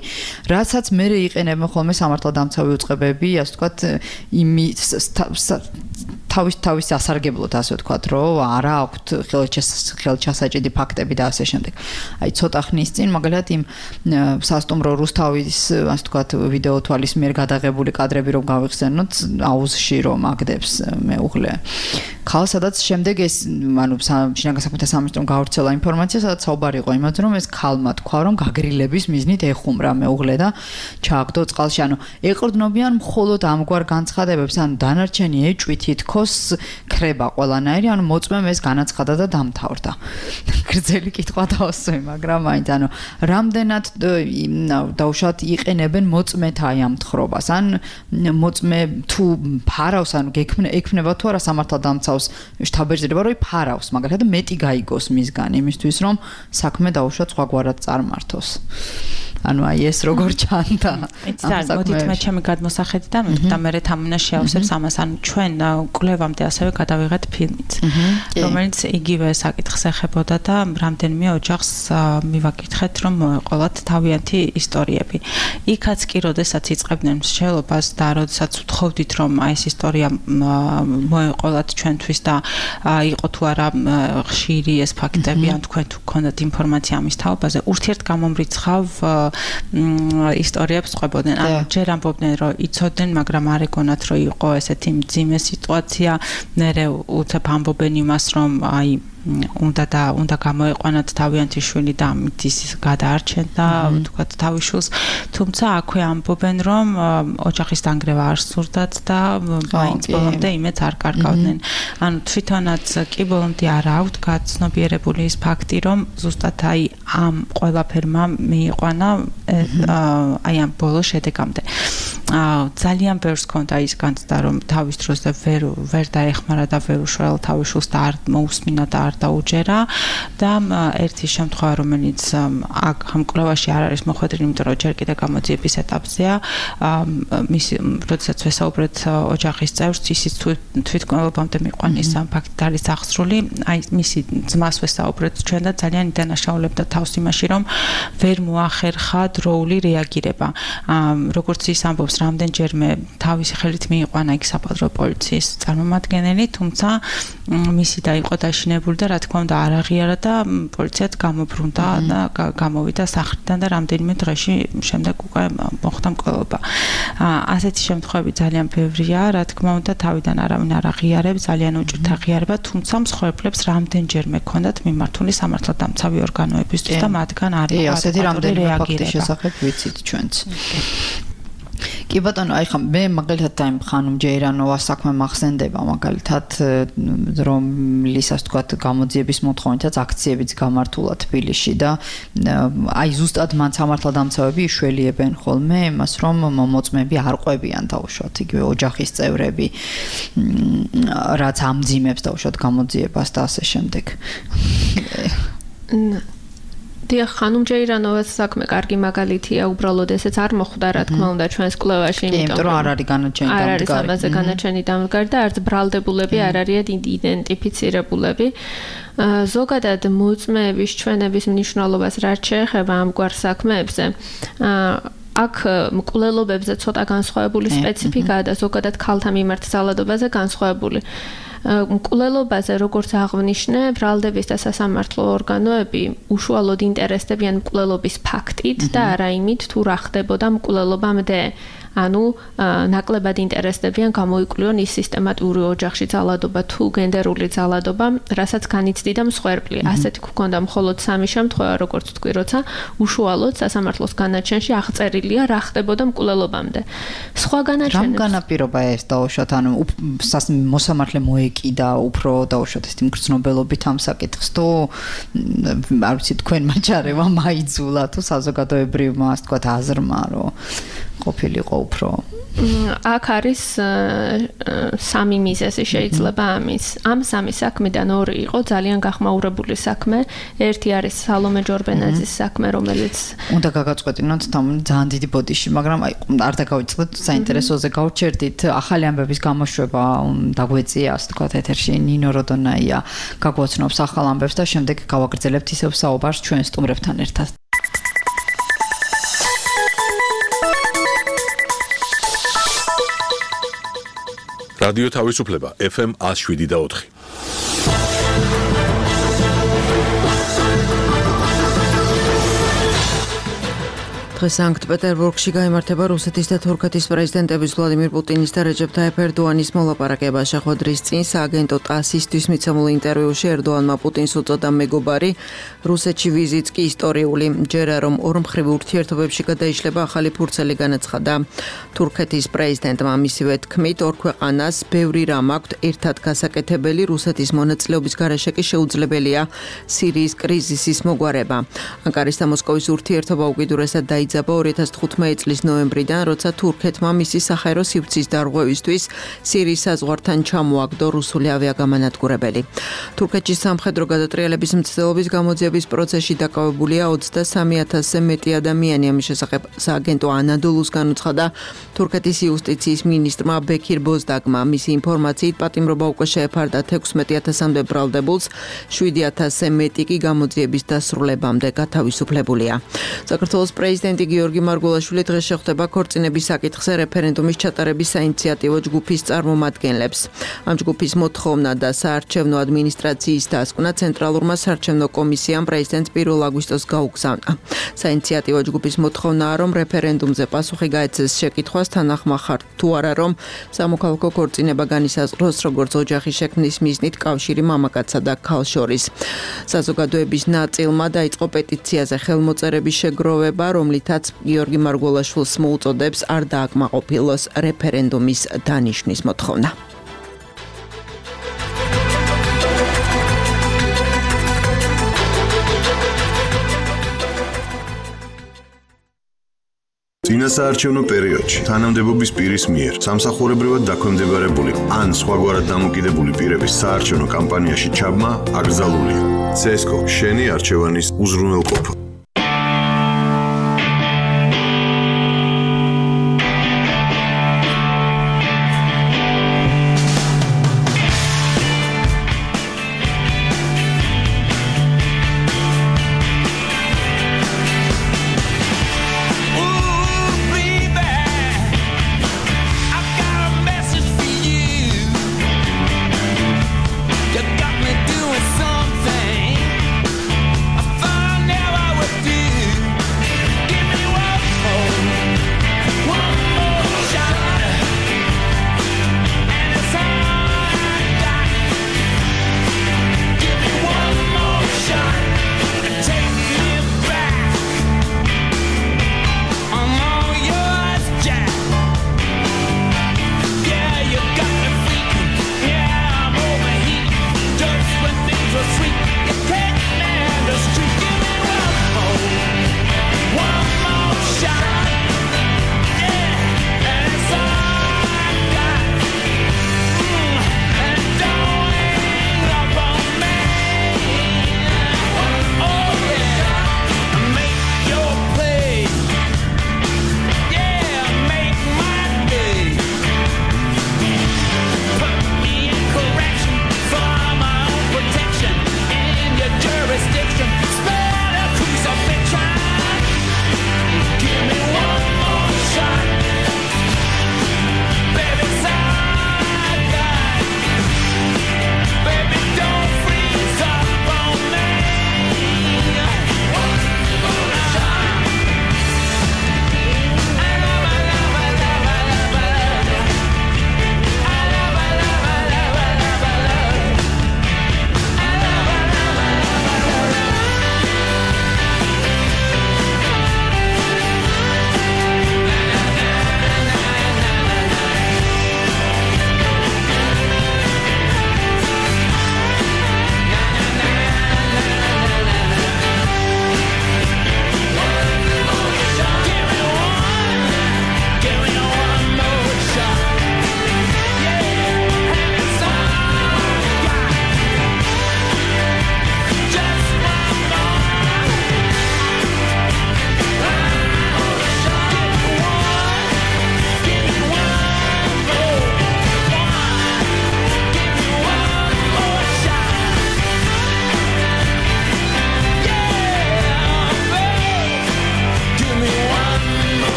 რასაც მე იყენებენ ხოლმე სამართალდამცავი უწყებები ასე ვთქვათ თავის ასარგებლოდ ასე ვთქვათ რომ არა აქვთ ხელჩასაჭიდი ფაქტები და ასე შემდეგ. აი ცოტა ხნის წინ მაგალითად იმ სასტუმრო რუსთავის ასე ვთქვათ ვიდეო თვალის მიერ გადაღებული კადრები რომ გავიხსენოთ აუზში რომ აგდებს მეუღლე ქალს სადაც შემდეგ ეს ანუ შინაგან საქმეთა სამინისტრომ გავრცელა ინფორმაცია სადაც საუბარი იყო იმაზე რომ ეს ქალმა თქვა რომ გაგრილების მიზნით ეხუმრა მეუღლე და ჩააგდო წყალში ანუ ეყრდნობიან მხოლოდ ამგვარ განცხადებებს ანუ დანარჩენი ეჭვი თითქოს ქრება ყველანაირი ანუ მოწმემ ეს განაცხადა და დამთავრდა გრძელი კითხვა დავასვი მაგრამ მაინც ანუ რამდენად დაუშვათ იყენებენ მოწმეთა აი ამ თხრობას ან მოწმე თუ ფარავს ანუ ექმნება თუ არა სამართალდამცავ შთაბეჭდილება რომ ფარავს მაგალითად მეტი გაიგოს მისგან იმისთვის რომ საქმე დაუშვათ სხვაგვარად წარმართოს ანუ აი ეს როგორ ჩანდა იცით მოდით მე ჩემი გადმოსახედიდან და მე თამუნა შეავსებს ამას ანუ ჩვენ კვლევამდე ასევე გადავიღეთ ფილმიც რომელიც იგივე საკითხს ეხებოდა და რამდენიმე ოჯახს მივაკითხეთ რომ მოეყოლათ თავიანთი ისტორიები იქაც კი როდესაც იწყებდნენ მსჯელობას და როდესაც ვთხოვდით რომ აი ეს ისტორია მოეყოლათ ჩვენთვის და იყო თუ არა ხშირი ეს ფაქტები ან თქვენ თუ გქონდათ ინფორმაცია ამის თაობაზე ურთიერთგამომრიცხავ ისტორიებს ყვებოდნენ ანუ ჯერ ამბობდნენ რომ იცოდნენ მაგრამ არ ეგონათ რომ იყო ესეთი მძიმე სიტუაცია მერე უცებ ამბობენ იმას რომ აი უნდა გამოეყვანათ თავიანთი შვილი და ამით ის გადაარჩენდა თქვათ თავის შვილს თუმცა აქვე ამბობენ რომ ოჯახის დანგრევა არ სურდათ და მაინც ბოლომდე იმეც არ კარგავდნენ ანუ თვითონაც კი ბოლომდე არ აქვთ გაცნობიერებული ის ფაქტი რომ ზუსტად აი ამ ყველაფერმა მიიყვანა აი ამ ბოლო შედეგამდე ძალიან ბევრს ჰქონდა ის განცდა რომ თავის დროზე ვერ დაეხმარა და ვერ უშველა თავის შულს და არ მოусმინა და არ დაუჯერა და ერთი შემთხვევა რომელიც აქ ამ კვლევაში არ არის მოხვედრილი იმიტომ რომ ჯერ კიდევ გამოძიების ეტაპზეა მისი როდესაც ვესაუბრეთ ოჯახის წევრს ისიც თვითმკვლელობამდე მიყვანის ამ ფაქტით არის აღსრული აი მისი ძმას ვესაუბრეთ ჩვენ და ძალიან იდანაშაულებდა თავს იმაში რომ ვერ მოახერხა დროული რეაგირება როგორც ის ამბობს რამდენჯერმე თავისი ხელით მიიყვანა იქ საპატრო პოლიციის წარმომადგენელი თუმცა მისი და იყო დაშინებული და რა თქმა უნდა არ აღიარა და პოლიციაც გამობრუნდა და გამოვიდა სახლიდან და რამდენიმე დღეში შემდეგ უკვე მოხდა მკვლელობა ასეთი შემთხვევები ძალიან ბევრია რა თქმა უნდა თავიდან არავინ არ აღიარებს ძალიან უჭირთ აღიარება თუმცა მსხვერპლებს რამდენჯერმე ჰქონდათ მიმართული სამართალდამცავი ორგანოებისთვის და მათგან არ იყო ასეთი რამდენიმე ფაქტის შესახებ ვიცით ჩვენც კი ბატონო, აი ხა მე მაგალითად აი ხანუმ ჯეირანოვას საქმე მახსენდება მაგალითად რომლისას თქვათ გამოძიების მოთხოვნითაც აქციებიც გამართულა თბილისში და აი ზუსტად მან სამართალდამცავები იშველიებენ ხოლმე იმას რომ მოწმეები არ ყვებიან დაუშვათ იგივე ოჯახის წევრები რაც ამძიმებს დაუშვათ გამოძიებას და ასე შემდეგ დიახ, ხანუმ ჯეირანოვას საქმე კარგი მაგალითია, უბრალოდ ესეც არ მოხვდა რა თქმა უნდა ჩვენს კვლევაში, იმიტომ რომ არ არის განაჩენი დამდგარი. არ არის ამაზე განაჩენი დამდგარი და არც ბრალდებულები არ არიან იდენტიფიცირებულები. ზოგადად მოწმეების ჩვენების მნიშვნელობას რაც შეეხება ამგვარ საქმეებზე, აქ მკვლელობებზე ცოტა განსხვავებული სპეციფიკაა და ზოგადად ქალთა მიმართ ძალადობაზე განსხვავებული. მკვლელობაზე როგორც აღნიშნე, ბრალდების და სასამართლო ორგანოები უშუალოდ ინტერესდებიან მკვლელობის ფაქტით და არა იმით, თუ რა ხდებოდა მკვლელობამდე. ანუ ნაკლებად ინტერესდებიან გამოიკვლიონ ის სისტემატური ოჯახში ძალადობა თუ გენდერული ძალადობა, რასაც განიცდიდა მსხვერპლი. ასეთი გქონდა მხოლოდ სამი შემთხვევა, როგორც თქვი, როცა უშუალოდ სასამართლოს განაჩენში აღწერილია რა ხდებოდა მკვლელობამდე. სხვა განაჩენებს რამ განაპირობა ეს დაუშვათ, ანუ მოსამართლე მოეკიდა უფრო დაუშვათ ეს მგრძნობელობით ამ საკითხს, თუ არ ვიცი თქვენმა ჯარებმა მაიძულა თუ საზოგადოებრივმა ასე თქვათ აზრმა, რომ ყოფილიყო უფრო აქ არის სამი მიზეზი შეიძლება ამის. ამ სამი საქმიდან ორი იყო ძალიან გახმაურებული საქმე. ერთი არის სალომე ჯორბენაძის საქმე, რომელიც უნდა გაგაწყვეტინოთ ძალიან დიდი ბოდიში, მაგრამ აი არ დაგავიწყდეთ საინტერესოზე გავჩერდით. ახალი ამბების გამოშვება დაგვეწია, ასე თქვათ, ეთერში ნინო როდონაია გაგვაცნობს ახალ ამბებს და შემდეგ გავაგრძელებთ ისევ საუბარს ჩვენ სტუმრებთან ერთად. რადიო თავისუფლება FM 107.4. დღეს სანქტ-პეტერბურგში გაიმართება რუსეთის და თურქეთის პრეზიდენტების ვლადიმირ პუტინის და რეჯეფ თაიფ ერდოანის მოლაპარაკება. შეხვედრის წინ სააგენტო TASS-ისთვის მიცემულ ინტერვიუში ერდოანმა პუტინს უწოდა მეგობარი, რუსეთში ვიზიტს კი ისტორიული. ჯერა რომ ორმხრივ ურთიერთობებში გადაიშლება ახალი ფურცელი განაცხადა. თურქეთის პრეზიდენტმა მისივე თქმით, ორ ქვეყანას ბევრი რამ აქვთ ერთად გასაკეთებელი, რუსეთის მონაწილეობის გარეშე კი შეუძლებელია სირიის კრიზისის მოგვარება. ანკარის და მოსკოვის ურთიერთობა უკიდურესად დაიწყო 2015 წლის ნოემბრიდან, როცა თურქეთმა მისი საჰაერო სივრცის დარღვევისთვის სირიის საზღვართან ჩამოაგდო რუსული ავიაგამანადგურებელი. თურქეთში სამხედრო გადატრიალების მცდელობის გამოძიების პროცესში დაკავებულია 23,000-ზე მეტი ადამიანი. ამის შესახებ სააგენტო ანადოლუს განუცხადა თურქეთის იუსტიციის მინისტრმა ბექირ ბოზდაგმა. მისი ინფორმაციით პატიმრობა უკვე შეეფარდა 16,000-მდე ბრალდებულს, 7,000-ზე მეტი კი გამოძიების დასრულებამდე გათავისუფლებულია. საქართველოს პრეზიდენტი გიორგი მარგველაშვილი დღეს შეხვდება ქორწინების საკითხზე რეფერენდუმის ჩატარების საინიციატივო ჯგუფის წარმომადგენლებს. ამ ჯგუფის მოთხოვნა და საარჩევნო ადმინისტრაციის დასკვნა ცენტრალურმა საარჩევნო კომისიამ პრეზიდენტს 1 აგვისტოს გაუგზავნა. საინიციატივო ჯგუფის მოთხოვნაა, რომ რეფერენდუმზე პასუხი გაეცეს შეკითხვას თანახმახარ თუ არა, რომ სამოქალაქო ქორწინება განისაზღვროს როგორც ოჯახის შექმნის მიზნით კავშირი მამაკაცსა და ქალს შორის. საზოგადოების ნაწილმა დაიწყო პეტიციაზე ხელმოწერების შეგროვება, რომლითაც გიორგი მარგველაშვილს მოუწოდებს არ დააკმაყოფილოს რეფერენდუმის დანიშვნის მოთხოვნა. წინასაარჩევნო პერიოდში თანამდებობის პირის მიერ სამსახურებრივად დაქვემდებარებული ან სხვაგვარად დამოკიდებული პირების საარჩევნო კამპანიაში ჩაბმა აკრძალულია. CSGO შენი არჩევანის უზრუნველყოფა.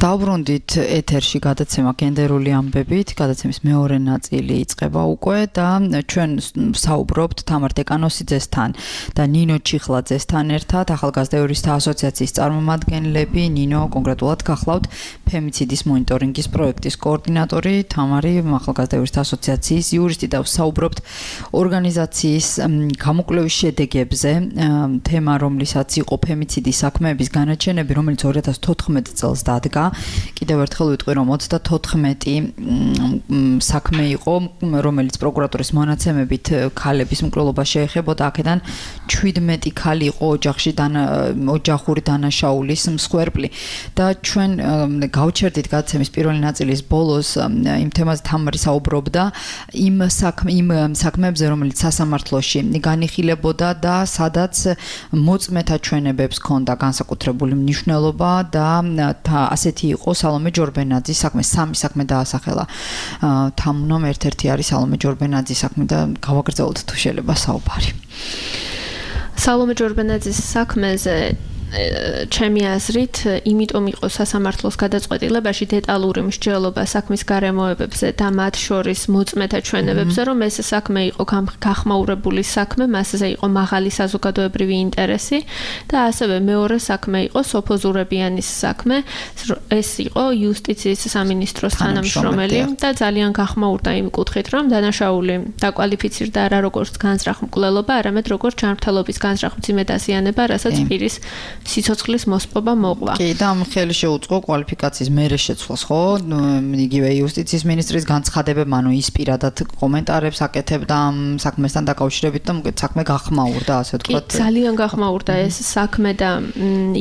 დავბრუნდით ეთერში გადაცემა გენდერული ამბებით, გადაცემის მეორე ნაწილი იწყება უკვე და ჩვენ საუბრობთ თამარ დეკანოსიძესთან და ნინო ჩიხლაძესთან ერთად, ახალგაზრდა იურისტთა ასოციაციის წარმომადგენლები. ნინო კონკრეტულად გახლავთ ფემიციდის მონიტორინგის პროექტის კოორდინატორი, თამარი ახალგაზრდა იურისტთა ასოციაციის იურისტი და საუბრობთ ორგანიზაციის გამოკვლევის შედეგებზე, თემა რომლისაც იყო ფემიციდის საქმეების განაჩენები, რომელიც 2014 წელს დადგა. კიდევ ერთხელ ვიტყვი, რომ 34 საქმე იყო, რომელიც პროკურატურის მონაცემებით ქალების მკვლელობა შეეხებოდა. აქედან 17 ქალი იყო ოჯახური დანაშაულის მსხვერპლი და ჩვენ გავჩერდით გადაცემის პირველი ნაწილის ბოლოს იმ თემაზე თამარი საუბრობდა იმ საქმეებზე, რომელიც სასამართლოში განიხილებოდა და სადაც მოწმეთა ჩვენებებს ჰქონდა განსაკუთრებული მნიშვნელობა და ასეთი იყო სალომე ჯორბენაძის საქმე. სამი საქმე დაასახელა თამუნომ, ერთ-ერთი არის სალომე ჯორბენაძის საქმე და გავაგრძელოთ თუ შეიძლება საუბარი. სალომე ჯორბენაძის საქმეზე ჩემი აზრით, იმიტომ იყო სასამართლოს გადაწყვეტილებაში დეტალური მსჯელობა საქმის გარემოებებზე და მათ შორის მოწმეთა ჩვენებებზე, რომ ეს საქმე იყო გახმაურებული საქმე, მასზე იყო მაღალი საზოგადოებრივი ინტერესი და ასევე მეორე საქმე იყო სოფოზურებიანის საქმე, ეს იყო იუსტიციის სამინისტროს თანამშრომელი და ძალიან გახმაურდა იმ კუთხით, რომ დანაშაული დაკვალიფიცირდა არა როგორც განზრახ მკვლელობა, არამედ როგორც ჯანმრთელობის განზრახ მძიმე დაზიანება, რასაც პირის სიცოცხლის მოსპობა მოყვა. კი, და ამ ხელი შეუწყო კვალიფიკაციის მერე შეცვლას, ხო? იგივე იუსტიციის მინისტრის განცხადებებმა, ანუ ის პირადად კომენტარებს აკეთებდა ამ საქმესთან დაკავშირებით და მოგეთ საქმე გახმაურდა, ასე ვთქვათ. კი, ძალიან გახმაურდა ეს საქმე და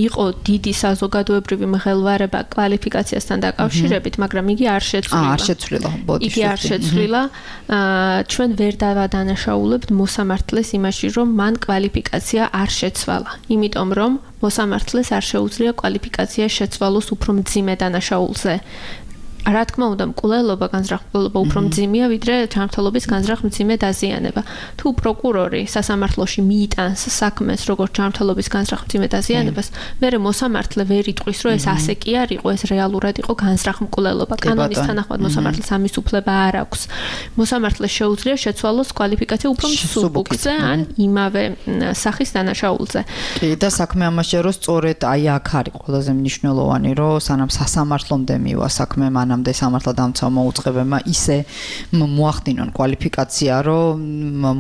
იყო დიდი საზოგადოებრივი მღელვარება კვალიფიკაციასთან დაკავშირებით, მაგრამ იგი არ შეცვლილა. არ შეცვლილა, იგი არ შეცვლილა. ჩვენ ვერ დავადანაშაულებთ მოსამართლეს იმაში, რომ მან კვალიფიკაცია არ შეცვალა. იმიტომ რომ მოსამართლეს არ შეუძლია კვალიფიკაცია შეცვალოს უფრო მძიმე დანაშაულზე. რა თქმა უნდა, მკვლელობა, განზრახ-მკვლელობა უფრო მძიმეა, ვიდრე ჯანმრთელობის განზრახ-მძიმე დაზიანება. თუ პროკურორი სასამართლოში მიიტანს საქმეს, როგორც ჯანმრთელობის განზრახ-მძიმე დაზიანებას, მერე მოსამართლე ვერ იტყვის, რომ ეს ასე კი არ იყო, ეს რეალურად იყო განზრახ-მკვლელობა. კანონის თანახმად მოსამართლეს ამის უფლება არ აქვს. მოსამართლეს შეუძლია შეცვალოს კვალიფიკაცია უფრო მსუბუქზე ან იმავე სახის დანაშაულზე. კი, და საქმე ამაშია, რომ სწორედ აი აქ არის ყველაზე მნიშვნელოვანი, რომ სანამ სასამართლომდე მივა საქმე მანამდე სამართალდამცავ მოუწყებებმა ისე მოახდინონ კვალიფიკაცია, რომ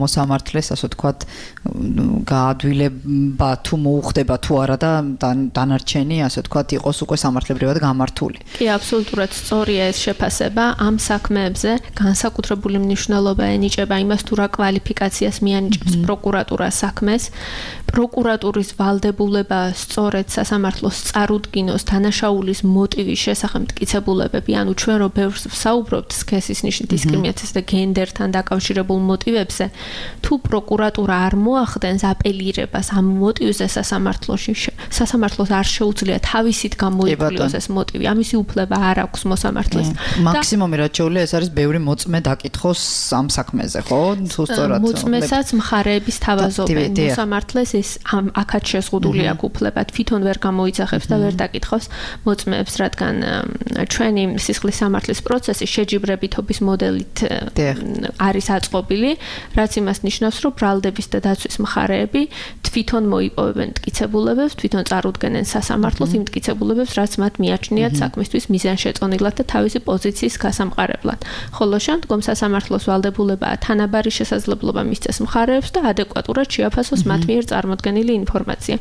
მოსამართლეს, ასე ვთქვათ, გაადვილება თუ მოუხდება თუ არა და დანარჩენი, ასე ვთქვათ, იყოს უკვე სამართლებრივად გამართული. კი, აბსოლუტურად სწორია ეს შეფასება. ამ საქმეებზე განსაკუთრებული მნიშვნელობა ენიჭება იმას, თუ რა კვალიფიკაციას მიანიჭებს პროკურატურა საქმეს. პროკურატურის ვალდებულება სწორედ სასამართლოს წარუდგინოს დანაშაულის მოტივის შესახებ მტკიცებულებები, ანუ ჩვენ რო ბევრს ვსაუბრობთ სქესის ნიშნის დისკრიმინაციას და გენდერთან დაკავშირებულ მოტივებზე, თუ პროკურატურა არ მოახდენს აპელირებას ამ მოტივზე სასამართლოს არ შეუძლია თავისით გამოიკვლიოს ეს მოტივი. ამისი უფლება არ აქვს მოსამართლეს. მაქსიმუმი რაც შეუძლია ეს არის ბევრი მოწმე დაკითხოს ამ საქმეზე, ხო? თუ სწორად მოწმესაც მხარეების თავაზობენ. მოსამართლეს ეს აქაც შეზღუდული აქვს უფლება, თვითონ ვერ გამოიძახებს და ვერ დაკითხავს მოწმეებს, რადგან ჩვენი სისხლის სამართლის პროცესი შეჯიბრებითობის მოდელით არის აწყობილი, რაც იმას ნიშნავს, რომ ბრალდების და დაცვის მხარეები თვითონ მოიპოვებენ მტკიცებულებებს, თვითონ წარუდგენენ სასამართლოს იმ მტკიცებულებებს, რაც მათ მიაჩნიათ საქმისთვის მიზანშეწონილად და თავისი პოზიციის გასამყარებლად. ხოლო შემდგომ სასამართლოს ვალდებულებაა თანაბარი შესაძლებლობა მისცეს მხარეებს და ადეკვატურად შეაფასოს მათ მიერ წარმოდგენილი ინფორმაცია.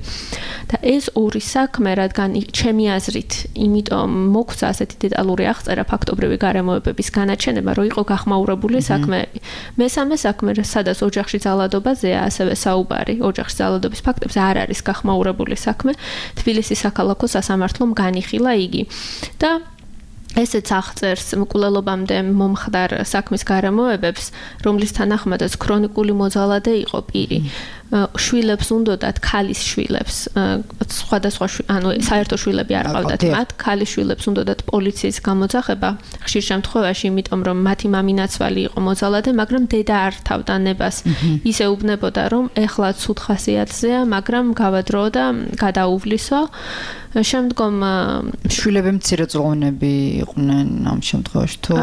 და ეს ორი საქმე, რადგან ჩემი აზრით, იმიტომ მოგვცა ასეთი დეტალური აღწერა ფაქტობრივი გარემოებების განაჩენება, რომ იყო გახმაურებული საქმეები. მესამე საქმე, სადაც ოჯახში ძალადობაზეა, ასევე საუბარი, ოჯახში ძალადობის ფაქტებზე არ არის გახმაურებული საქმე. თბილისის საქალაქო სასამართლომ განიხილა იგი. და ესეც აღწერს მკვლელობამდე მომხდარ საქმის გარემოებებს, რომლის თანახმადაც ქრონიკული მოძალადე იყო პირი. შვილებს უნდათ ქალის შვილებს, სხვადასხვა ანუ საერთო შვილები არ ყავდათ მათ, ქალის შვილებს უნდათ პოლიციის გამოძახება, ხშირ შემთხვევაში, იმიტომ რომ მათი მამინაცვალი იყო მოძალადე, მაგრამ დედა არ თავდა ნებას. ისე უბნებოდა, რომ ეხლა ცუდ ხასიათზეა, მაგრამ გავადრო და გადაუვლისო. შემდგომ შვილები მცირეწლოვანები იყვნენ ამ შემთხვევაში თუ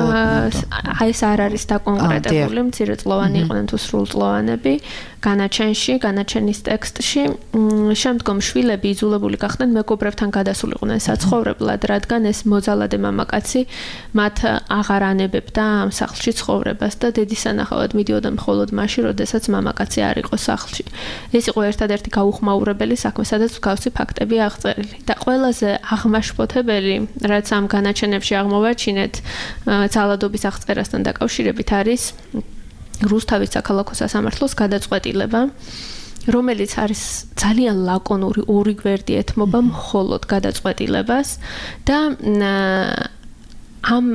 ეს არ არის დაკონკრეტებული, მცირეწლოვანი იყვნენ თუ სრულწლოვანები. განაჩენის ტექსტში შემდგომ შვილები იძულებული გახდნენ მეგობრებთან გადასულიყვნენ საცხოვრებლად, რადგან ეს მოძალადე მამაკაცი მათ აღარ ანებებდა ამ სახლში ცხოვრებას და დედის სანახავად მიდიოდა მხოლოდ მაშინ, როდესაც მამაკაცი არ იყო სახლში. ეს იყო ერთადერთი გაუხმაურებელი საქმე, სადაც მსგავსი ფაქტები აღწერილი. და ყველაზე აღმაშფოთებელი, რაც ამ განაჩენებში აღმოვაჩინეთ ძალადობის აღწერასთან დაკავშირებით არის რუსთავის საქალაქო სასამართლოს გადაწყვეტილება, რომელიც არის ძალიან ლაკონური, ორი გვერდი ეთმობა მხოლოდ გადაწყვეტილებას და ამ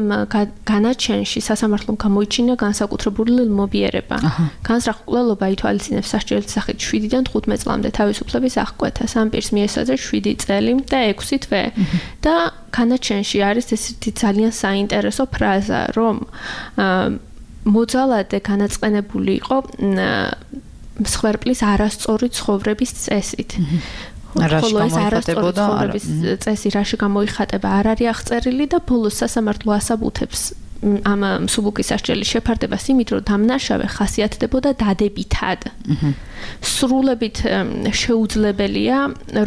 განაჩენში სასამართლომ გამოიჩინა განსაკუთრებული მობიერება. განზრახ-მკვლელობა ითვალისწინებს სასჯელის სახით 7-დან 15 წლამდე თავისუფლების აღკვეთას. ამ პირს მიესაძა 7 წელი და 6 თვე. და განაჩენში არის ესეთი ძალიან საინტერესო ფრაზა, რომ მოძალადე განაწყენებული იყო მსხვერპლის არასწორი ცხოვრების წესით. ხოლო ეს არასწორი ცხოვრების წესი რაში გამოიხატება არ არის აღწერილი და ბოლოს სასამართლო ასაბუთებს ამ მსუბუქის სასჯელის შეფარდებას იმით, რომ დამნაშავე ხასიათდებოდა დადებითად. სრულებით შეუძლებელია,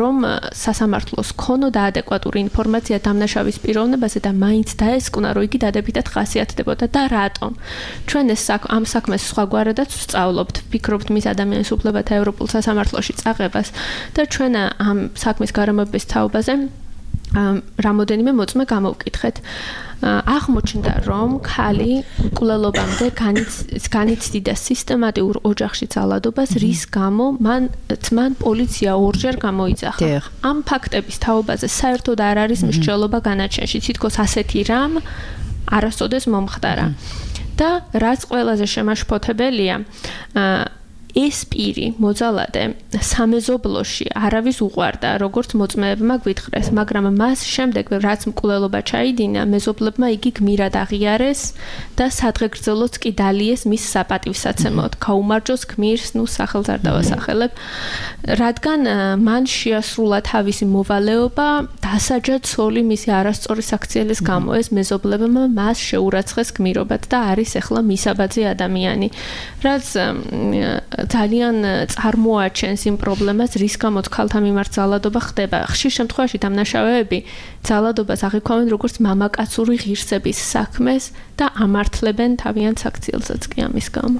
რომ სასამართლოს ქონოდა ადეკვატური ინფორმაცია დამნაშავის პიროვნებაზე და მაინც დაესკვნა, რომ იგი დადებითად ხასიათდებოდა და რატომ. ჩვენ ამ საქმეს სხვაგვარადაც ვსწავლობთ, ვფიქრობთ მის ადამიანის უფლებათა ევროპულ სასამართლოში წაღებას და ჩვენ ამ საქმის გარემოების თაობაზე რამოდენიმე მოწმე გამოვკითხეთ. აღმოჩნდა, რომ ქალი მკვლელობამდე განიცდიდა სისტემატიურ ოჯახში ძალადობას, რის გამო მან პოლიცია ორჯერ გამოიძახა. ამ ფაქტების თაობაზე საერთოდ არ არის მსჯელობა განაჩენში, თითქოს ასეთი რამ არასოდეს მომხდარა. და რაც ყველაზე შემაშფოთებელია, ეს პირი მოძალადე სამეზობლოში არავის უყვარდა, როგორც მოწმეებმა გვითხრეს, მაგრამ მას შემდეგ, რაც მკვლელობა ჩაიდინა, მეზობლებმა იგი გმირად აღიარეს და სადღეგრძელოც კი დალიეს მის საპატივსაცემოდ, გაუმარჯოს გმირს, სახელს არ დავასახელებ, რადგან მან შეასრულა თავისი მოვალეობა, დასაჯა ცოლი მისი არასწორი საქციელის გამო, ეს მეზობლებმა მას შეურაცხეს გმირობად და არის ახლა მისაბაძი ადამიანი, რაც ძალიან წარმოაჩენს იმ პრობლემას, რის გამოც ქალთა მიმართ ძალადობა ხდება. ხშირ შემთხვევაში დამნაშავეები ძალადობას აღიქვამენ როგორც მამაკაცური ღირსების საქმეს და ამართლებენ თავიანთ საქციელსაც კი ამის გამო.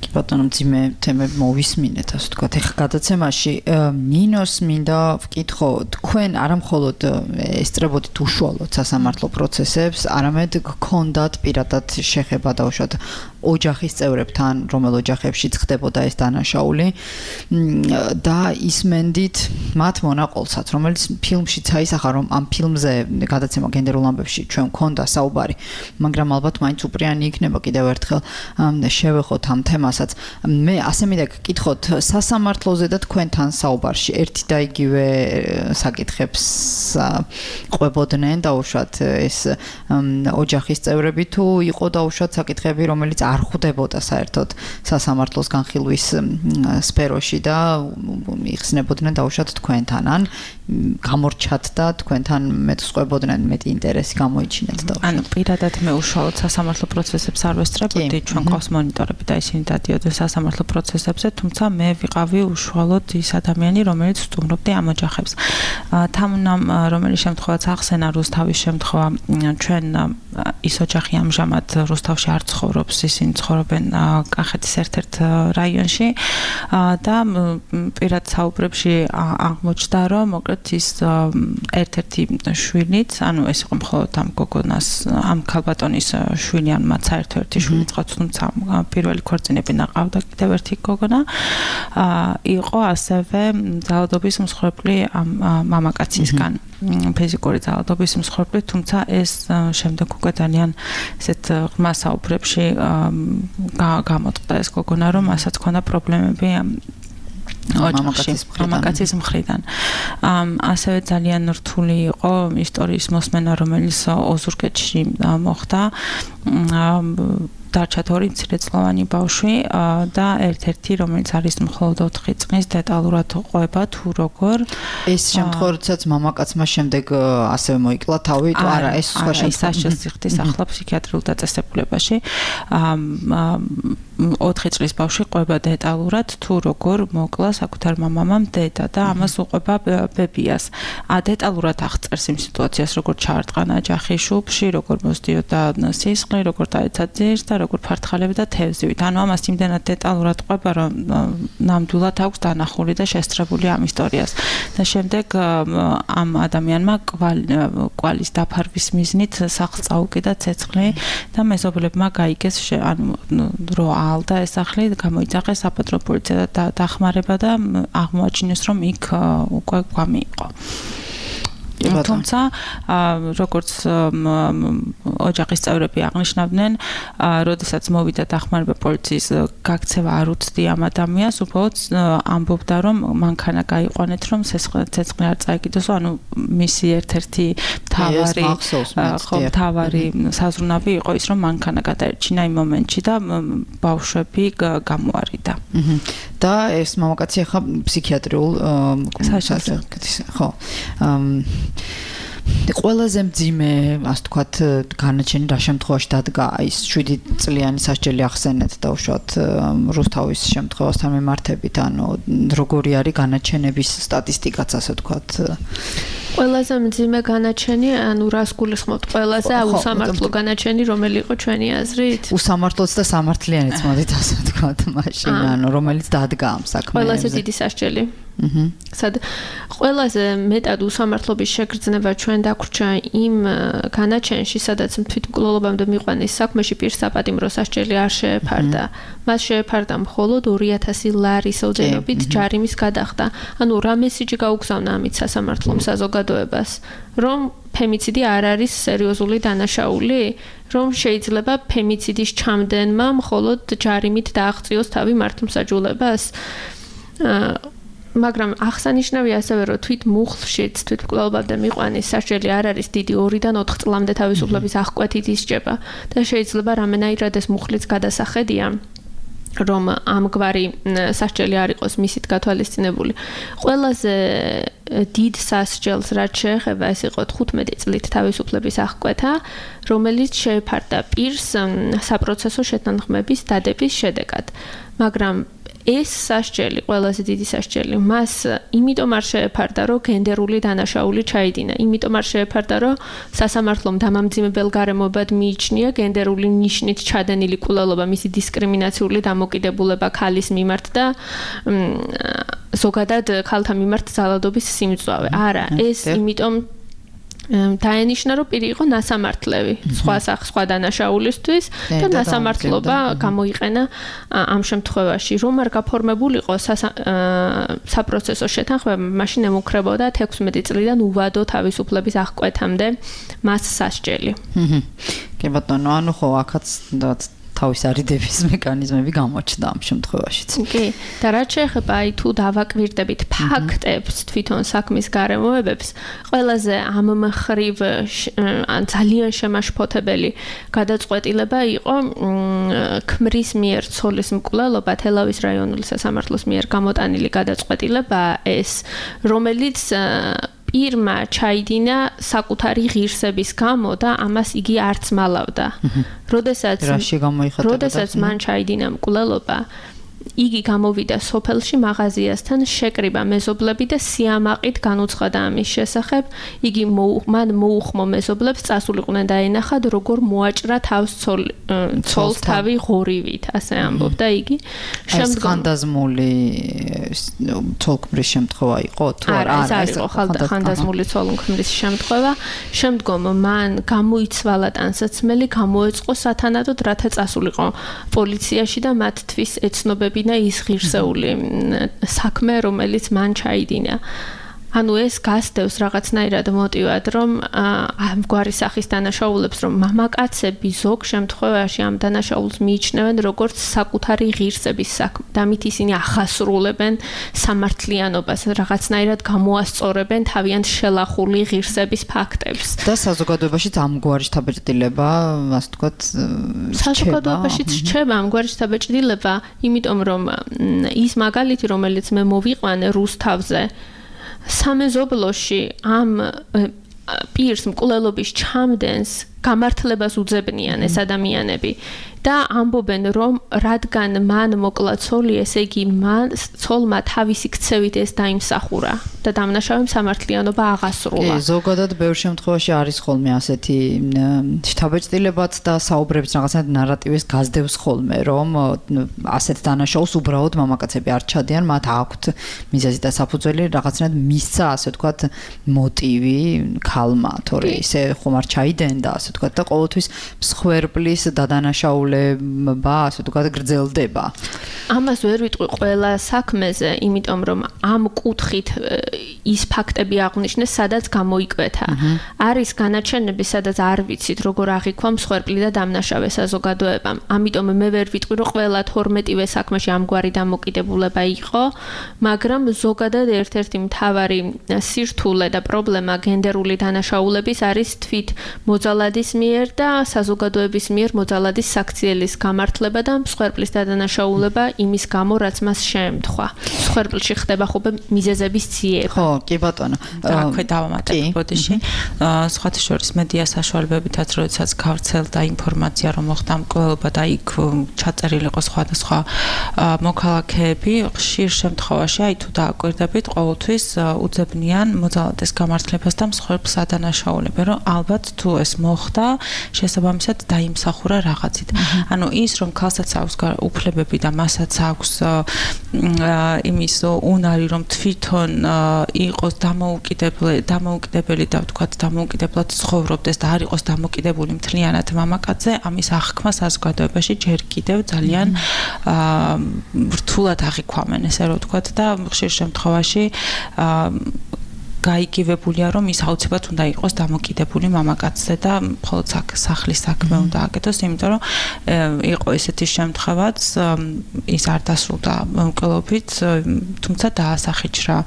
კი ბატონო, მძიმე თემები მოვისმინეთ, ასე ვთქვათ. ეხლა გადაცემაში ნინოს მინდა ვკითხო, თქვენ არამხოლოდ ესწრებოდით უშუალოდ სასამართლო პროცესებს, არამედ გქონდათ პირადად შეხება დაუშვათ ოჯახის წევრებთან, რომელ ოჯახებშიც ხდებოდა ეს დანაშაული და ისმენდით მათ მონაყოლსაც, რომელიც ფილმშიც აისახა, რომ ამ ფილმზე გადაცემა გენდერულ ამბებში ჩვენ გქონდა საუბარი, მაგრამ ალბათ მაინც უპრიანი იქნება კიდევ ერთხელ შევეხოთ ამ თემასაც. მე ასე მინდა გკითხოთ, სასამართლოზე და თქვენთან საუბარში ერთი და იგივე საკითხებს ყვებოდნენ დაუშვათ ეს ოჯახის წევრები თუ იყო დაუშვათ საკითხები, რომელიც არ ხვდებოდა საერთოდ სასამართლოს განხილვის სფეროში და იხსნებოდნენ დაუშვათ თქვენთან, ან გამორჩათ და თქვენთან მეტსყვებოდნენ, მეტი ინტერესი გამოიჩინეთ და ანუ პირადად მე უშუალოდ სასამართლო პროცესებს არ ვესწრებოდი, ჩვენ ყავს მონიტორები და ისინი დადიოდნენ სასამართლო პროცესებზე, თუმცა მე ვიყავი უშუალოდ ის ადამიანი, რომელიც სტუმრობდი ამ ოჯახებს. თამუნამ რომელი შემთხვევაც ახსენა რუსთავის შემთხვევა, ჩვენ ის ოჯახი ამჟამად რუსთავში არ ცხოვრობს, ისინი ცხოვრობენ კახეთის ერთ-ერთ რაიონში და პირად საუბრებში აღმოჩნდა, რომ მოკლედ ის ერთ-ერთი შვილიც, ანუ ეს იყო მხოლოდ ამ გოგონას, ამ ქალბატონის შვილი, ან მათ საერთო ერთი შვილი წყაც, თუმცა პირველი ქორწინები ნაყავდა კიდევ ერთი გოგონა, იყო ასევე ძალადობის მსხვერპლი ამ მამაკაცისგან, ფიზიკური ძალადობის მსხვერპლი, თუმცა ეს შემდეგ უკვე ძალიან ესეთ ღრმა საუბრებში გამოწყდა ეს გოგონა, რომ მასაც ჰქონდა პრობლემები მამაკაცის მხრიდან. ასევე ძალიან რთული იყო ისტორიის მოსმენა, რომელიც ოზურგეთში მოხდა. დარჩათ ორი მცირეწლოვანი ბავშვი და ერთ-ერთი, რომელიც არის მხოლოდ 4 წლის, დეტალურად ყვება თუ როგორ. ეს შემთხვევა, როდესაც მამაკაცმა შემდეგ ასევე მოიკლა თავი, თუ არა, ეს სხვა შემთხვევა სიხდის ახლა ფსიქიატრიულ დაწესებულებაში. 4 წლის ბავშვი ყვება დეტალურად თუ როგორ მოკლა საკუთარ მამამამ დედა და ამას უყვება ბებიას. დეტალურად აღწერს იმ სიტუაციას, როგორ ჩაარტყანა ჯახი შუბში, როგორ მოსდიოდა სისხლი, როგორ დაეცა ძირს და როგორ ფართხალებდა თევზივით. ანუ ამას იმდენად დეტალურად ყვება, რომ ნამდვილად აქვს დანახული და შესწრებული ამ ისტორიას. და შემდეგ ამ ადამიანმა კვალის დაფარვის მიზნით სახლს წაუკიდა ცეცხლი და მეზობლებმა გაიგეს, ანუ რო ალდა ეს სახლი, გამოიძახეს საპატრო პოლიცია და დახმარება და აღმოაჩინეს, რომ იქ უკვე გვამი იყო. თუმცა როგორც ოჯახის წევრები აღნიშნავდნენ, როდესაც მოვიდა დახმარება პოლიციის გაქცევა არ უცდი ამ ადამიანს, უბრალოდ ამბობდა, რომ მანქანა გაიყვანეთ, რომ ცეცხლი არ წაიკიდოს, ანუ მისი ერთ-ერთი მთავარი საზრუნავი იყო ის, რომ მანქანა გადაერჩინა იმ მომენტში და ბავშვები გამოარიდა. და ეს მამაკაცი ახლა ფსიქიატრიულ საშუალებას ხო ყველაზე მძიმე, ასე ვთქვათ, განაჩენი რა შემთხვევაში დადგა ის 7 წლიანი სასჯელი ახსენეთ და უშუალოდ რუსთავის შემთხვევასთან მიმართებით, ანუ როგორი არის განაჩენების სტატისტიკაც, ასე ვთქვათ. ყველაზე მძიმე განაჩენი, ანუ რას გულისხმობთ ყველაზე უსამართლო განაჩენი, რომელი იყო ჩვენი აზრით? უსამართლოც და სამართლიანიც მოდით ასე ვთქვათ, მაშინ, ანუ რომელიც დადგა ამ საქმეებზე. ყველაზე დიდი სასჯელი. სად ყველაზე მეტად უსამართლობის შეგრძნება ჩვენ დაგვრჩა იმ განაჩენში, სადაც თვითმკვლელობამდე მიყვანის საქმეში პირსაპატიმრო სასჯელი არ შეეფარდა. მას შეეფარდა მხოლოდ 2000 ლარის ოდენობით ჯარიმის გადახდა. ანუ რა მესიჯი გაუგზავნა ამით სასამართლომ საზოგადოებას, რომ ფემიციდი არ არის სერიოზული დანაშაული, რომ შეიძლება ფემიციდის ჩამდენმა მხოლოდ ჯარიმით დააღწიოს თავი მართლმსაჯულებას. მაგრამ აღსანიშნავია ასევე, რომ თვით მუხლშიც თვითმკვლელობამდე მიყვანის სასჯელი არ არის დიდი 2-დან 4 წლამდე თავისუფლების აღკვეთით ისჯება და შეიძლება რამენაირად ეს მუხლიც გადასახედია, რომ ამგვარი სასჯელი არ იყოს მისით გათვალისწინებული. ყველაზე დიდ სასჯელს რაც შეეხება, ეს იყო 15 წლით თავისუფლების აღკვეთა, რომელიც შეეფარდა პირს საპროცესო შეთანხმების დადების შედეგად. მაგრამ ეს სასჯელი, ყველაზე დიდი სასჯელი, მას იმიტომ არ შეეფარდა, რომ გენდერული დანაშაული ჩაიდინა, იმიტომ არ შეეფარდა, რომ სასამართლომ დამამძიმებელ გარემოებად მიიჩნია გენდერული ნიშნით ჩადენილი კვლელობა, მისი დისკრიმინაციული დამოკიდებულება ქალის მიმართ და ზოგადად ქალთა მიმართ ძალადობის სიმწვავე. არა, ეს იმიტომ დაენიშნა, რომ პირი იყო ნასამართლევი სხვა დანაშაულისთვის და ნასამართლობა გამოიყენა ამ შემთხვევაში. რომ არ გაფორმებულიყო საპროცესო შეთანხმება, მაშინ ემუქრებოდა 16 წლიდან უვადო თავისუფლების აღკვეთამდე მას სასჯელი. კი ბატონო, ანუ ხო აქაც თავის არიდების მექანიზმები გამოჩნდა ამ შემთხვევაშიც. კი, და რაც შეეხება აი თუ დავაკვირდებით ფაქტებს, თვითონ საქმის გარემოებებს, ყველაზე ამ მხრივ ან ძალიან შემაშფოთებელი გადაწყვეტილება იყო ქმრის მიერ ცოლის მკვლელობა თელავის რაიონული სასამართლოს მიერ გამოტანილი გადაწყვეტილება ეს, რომელიც პირმა ჩაიდინა საკუთარი ღირსების გამო და ამას იგი არც მალავდა. როდესაც მან ჩაიდინა მკვლელობა, იგი გამოვიდა სოფელში მაღაზიასთან, შეკრიბა მეზობლები და სიამაყით განუცხადა ამის შესახებ. იგი მან მოუხმო მეზობლებს წასულიყვნენ დაენახათ, როგორ მოაჭრა თავს ცოლს თავი ღორივით, ასე ამბობდა იგი. ხანდაზმული ცოლქმრის შემთხვევა იყო თუ არა? არ იყო ხანდაზმული ცოლქმრის შემთხვევა. შემდგომ მან გამოიცვალა ტანსაცმელი, გამოეწყო სათანადოდ, რათა წასულიყო პოლიციაში და მათთვის ეცნობებინა ის ღირსეული საქმე, რომელიც მან ჩაიდინა. ანუ ეს გასდევს რაღაცნაირად მოტივად, რომ ამგვარი სახის დანაშაულებს, რომ მამაკაცები ზოგ შემთხვევაში ამ დანაშაულს მიიჩნევენ როგორც საკუთარი ღირსების საქმე და მით ისინი ახასრულებენ სამართლიანობას, რაღაცნაირად გამოასწორებენ თავიანთ შელახული ღირსების ფაქტებს. და საზოგადოებაშიც ამგვარი შთაბეჭდილება, ასე ვთქვათ, საზოგადოებაშიც რჩება ამგვარი შთაბეჭდილება, იმიტომ რომ ის მაგალითი, რომელიც მე მოვიყვანე რუსთავზე, სამეზობლოში ამ პირს მკვლელობის ჩამდენს გამართლებას უძებნიან ეს ადამიანები და ამბობენ, რომ რადგან მან მოკლა ცოლი, ესე იგი ცოლმა თავისი ქცევით ეს დაიმსახურა და დამნაშავემ სამართლიანობა აღასრულა. კი, ზოგადად ბევრ შემთხვევაში არის ხოლმე ასეთი შთაბეჭდილებაც და საუბრებს რაღაცნაირად ნარატივის გაზდევს ხოლმე, რომ ასეთ დანაშაულს უბრალოდ მამაკაცები არ ჩადიან, მათ აქვთ მიზეზი და საფუძველი, რაღაცნაირად მისცა, ასე ვთქვათ, მოტივი ქალმა, თორე ისე ხომ არ ჩაიდენდა, ასე ვთქვათ, და ყოველთვის მსხვერპლის დადანაშაულება, ასე ვთქვათ, გრძელდება. ამას ვერ ვიტყვი ყველა საქმეზე, იმიტომ რომ ამ კუთხით ის ფაქტები აღნიშნეს, სადაც გამოიკვეთა. არის განაჩენები, სადაც არ ვიცით, როგორ აღიქვა მსხვერპლი და დამნაშავე საზოგადოებამ. ამიტომ მე ვერ ვიტყვი, რომ ყველა 12-ვე საქმეში ამგვარი დამოკიდებულება იყო, მაგრამ ზოგადად ერთ-ერთი მთავარი სირთულე და პრობლემა გენდერული დანაშაულების არის თვით მოძალადი მოძალადის მიერ და საზოგადოების მიერ მოძალადის საქციელის გამართლება და მსხვერპლის დადანაშაულება იმის გამო, რაც მას შეემთხვა. მსხვერპლში ხდება ხოლმე მიზეზების ძიება. ხო, კი ბატონო. აქვე დავამატებ ბოდიში. სხვათა შორის მედია საშუალებებითაც, როდესაც გავრცელდა ინფორმაცია, რომ მოხდა მკვლელობა და იქ ჩაწერილი იყო სხვადასხვა მოქალაქეები, ხშირ შემთხვევაში, აი თუ დააკვირდებით, ყოველთვის უძებნიან მოძალადის გამართლებას და მსხვერპლს ადანაშაულებენ, რომ ალბათ თუ ეს მოხდა, შესაბამისად დაიმსახურა რაღაცით. ანუ ის, რომ ქალსაც აქვს უფლებები და მასაც აქვს იმის უნარი, რომ თვითონ იყოს დამოუკიდებელი და ვთქვათ, დამოუკიდებლად ცხოვრობდეს და არ იყოს დამოკიდებული მთლიანად მამაკაცზე, ამის აღქმა საზოგადოებაში ჯერ კიდევ ძალიან რთულად აღიქვამენ, ესე რომ ვთქვათ და ხშირ შემთხვევაში გაიგივებულია, რომ ის აუცილებლად უნდა იყოს დამოკიდებული მამაკაცზე და მხოლოდ სახლის საქმე უნდა აკეთოს, იმიტომ რომ იყო ესეთი შემთხვევაც, ის არ დასრულდა მკვლელობით, თუმცა დაასახიჩრა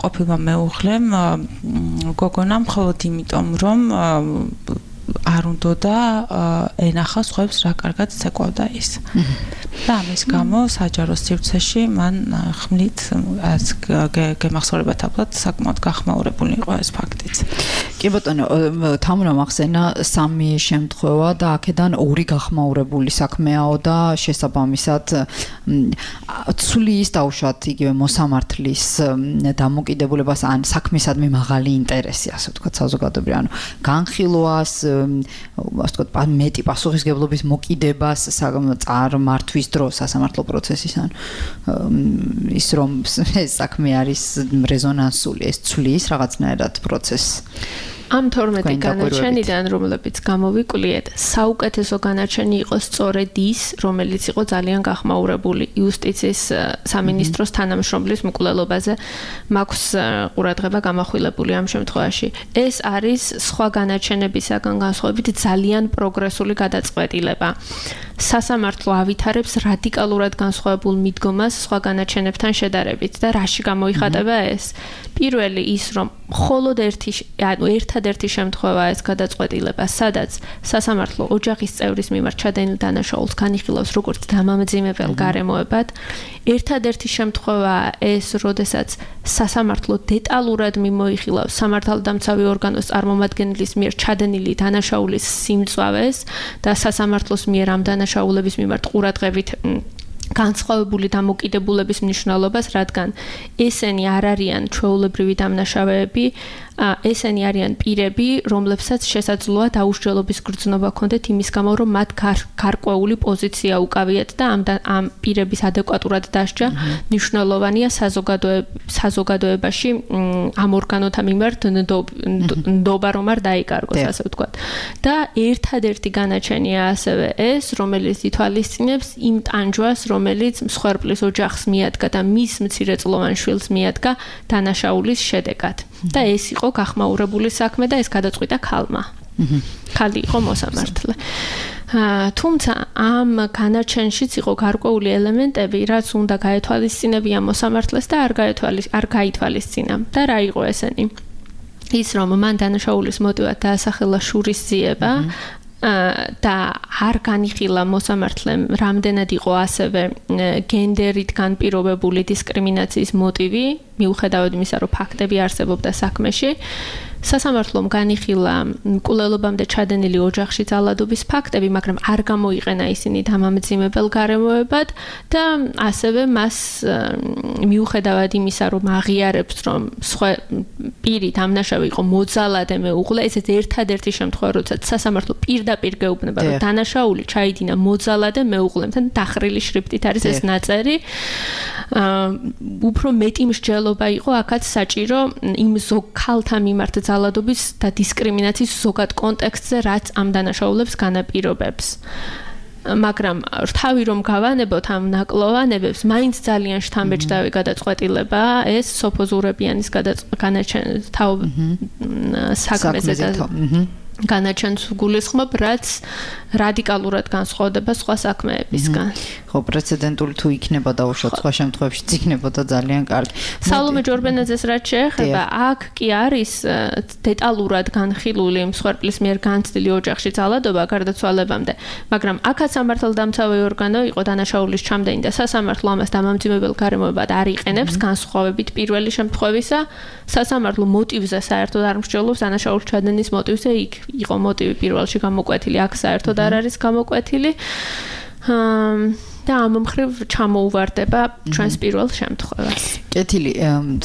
ყოფილმა მეუღლემ გოგონამ მხოლოდ იმიტომ, რომ არ უნდა და ენახა სხვებს რა კარგად ცეკვავდა ის. და ამის გამო საჯარო სივრცეში მან ხმლით გემახსოვრებათ აბლად საკმაოდ გახმაურებული იყო ეს ფაქტიც. კი ბატონო, თამრა მახსენა სამი შემთხვევა და აქედან ორი გახმაურებული საქმეაო და შესაბამისად ცვლის დაუშვათ იგივე მოსამართლის დამოკიდებულებას ან საქმისადმი მაღალი ინტერესი, ასე ვთქვათ, საზოგადოებრივ, ანუ განხილვას, ასე ვთქვათ, მეტი პასუხისგებლობის მოკიდებას წარმართვის დროს სასამართლო პროცესის, ან ის რომ ეს საქმე არის რეზონანსული, ეს ცვლის რაღაცნაირად პროცესს. ამ 12 განაჩენიდან, რომლებიც გამოვიკვლიეთ, საუკეთესო განაჩენი იყო სწორედ ის, რომელიც იყო ძალიან გახმაურებული იუსტიციის სამინისტროს თანამშრომლის მკვლელობაზე, მაქვს ყურადღება გამახვილებული ამ შემთხვევაში. ეს არის სხვა განაჩენებისაგან განსხვავებით ძალიან პროგრესული გადაწყვეტილება. სასამართლო ავითარებს რადიკალურად განსხვავებულ მიდგომას სხვა განაჩენებთან შედარებით და რაში გამოიხატება ეს? პირველი ის, რომ მხოლოდ ერთადერთი შემთხვევაა ეს გადაწყვეტილება, სადაც სასამართლო ოჯახის წევრის მიმართ ჩადენილ დანაშაულს განიხილავს როგორც დამამძიმებელ გარემოებად. ერთადერთი შემთხვევაა ეს, როდესაც სასამართლო დეტალურად მიმოიხილავს სამართალდამცავი ორგანოს წარმომადგენლის მიერ ჩადენილი დანაშაულის სიმწვავეს და სასამართლოს მიერ ამ დანაშაულების მიმართ ყურადღებით განსხვავებული დამოკიდებულების მნიშვნელობას, რადგან ესენი არ არიან ჩვეულებრივი დამნაშავეები, ესენი არიან პირები, რომლებსაც შესაძლოა დაუსჯელობის გრძნობა ჰქონდეთ იმის გამო, რომ მათ გარკვეული პოზიცია უკავიათ და ამ პირების ადეკვატურად დასჯა მნიშვნელოვანია საზოგადოებაში ამ ორგანოთა მიმართ ნდობა რომ არ დაიკარგოს, ასე ვთქვათ. და ერთადერთი განაჩენია ასევე ეს, რომელიც ითვალისწინებს იმ ტანჯვას, რომელიც მსხვერპლის ოჯახს მიადგა და მის მცირეწლოვან შვილს მიადგა დანაშაულის შედეგად. და ეს იყო გახმაურებული საქმე და ეს გადაწყვიტა ქალმა. ქალი იყო მოსამართლე. თუმცა ამ განაჩენშიც იყო გარკვეული ელემენტები, რაც უნდა გაეთვალისწინებიან მოსამართლეს და არ გაითვალისწინა. და რა იყო ესენი? ის რომ მან დანაშაულის მოტივად დაასახელა შურის ძიება და არ განიხილა მოსამართლემ რამდენად იყო ასევე გენდერით განპირობებული დისკრიმინაციის მოტივი, მიუხედავად იმისა, რომ ფაქტები არსებობდა საქმეში. სასამართლომ განიხილა მკვლელობამდე ჩადენილი ოჯახში ძალადობის ფაქტები, მაგრამ არ გამოიყენა ისინი დამამძიმებელ გარემოებად და ასევე მას მიუხედავად იმისა, რომ აღიარებს, რომ სხვა პირი დამნაშავე იყო მოძალადე მეუღლე, ესეც ერთადერთი შემთხვევა, როდესაც სასამართლო პირდაპირ გეუბნება, რომ დანაშაული ჩაიდინა მოძალადე მეუღლემთან, დახრილი შრიფტით არის ეს ნაწერი. უფრო მეტი მსჯელობა იყო აქაც საჭირო იმ ქალთა მიმართ ძალადობის და დისკრიმინაციის ზოგად კონტექსტზე, რაც ამ დანაშაულებს განაპირობებს. მაგრამ თავი რომ გავანებოთ ამ ნაკლოვანებებს, მაინც ძალიან შთამბეჭდავი გადაწყვეტილება ეს სოფო ზურებიანის საქმეზე და განაჩენს გულისხმობ, რაც რადიკალურად განსხვავდება სხვა საქმეებისგან. ხო, პრეცედენტული თუ იქნება დაუშვათ სხვა შემთხვევებში იქნებოდა ძალიან კარგი. სალომე ჯორბენაძეს რაც შეეხება, აქ კი არის დეტალურად განხილული მსხვერპლის მიერ განცდილი ოჯახში ძალადობა გარდაცვალებამდე, მაგრამ აქაც სამართალდამცავი ორგანო იყო დანაშაულის ჩამდენი და სასამართლო ამას დამამძიმებელ გარემოებად არ იყენებს, განსხვავებით პირველი შემთხვევისა, სასამართლო მოტივზე საერთოდ არ მსჯელობს დანაშაულის ჩადენის მოტივზე, იქ იყო მოტივი პირველში გამოკვეთილი, აქ საერთოდ არ არის გამოკვეთილი. და ამ მხრივ ჩამოუვარდება ჩვენს პირველ შემთხვევას. კეთილი,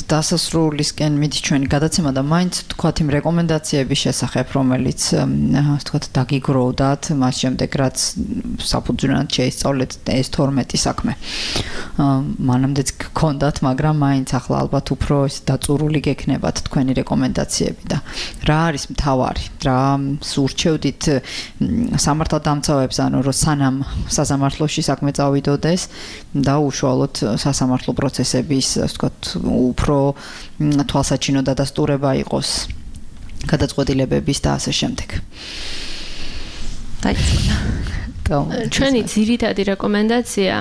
დასასრულისკენ მიდის ჩვენი გადაცემა და მაინც თქვათ იმ რეკომენდაციების შესახებ, რომელიც თქვათ დაგიგროვდათ, მას შემდეგ რაც საფუძვლად შეისწავლეთ ეს 12 საქმე. მანამდეც გქონდათ, მაგრამ მაინც ახლა ალბათ უფრო დაწურული გექნებათ თქვენი რეკომენდაციები და რა არის მთავარი, რა სურჩევდით სამართალდამცავებს, ანუ რომ სანამ სასამართლოში საქმე წავიდოდეს და უშუალოდ სასამართლო პროცესების, ასე ვთქვათ, უფრო თვალსაჩინო დადასტურება იყოს გადაწყვეტილებების და ასე შემდეგ. ჩვენი ძირითადი რეკომენდაცია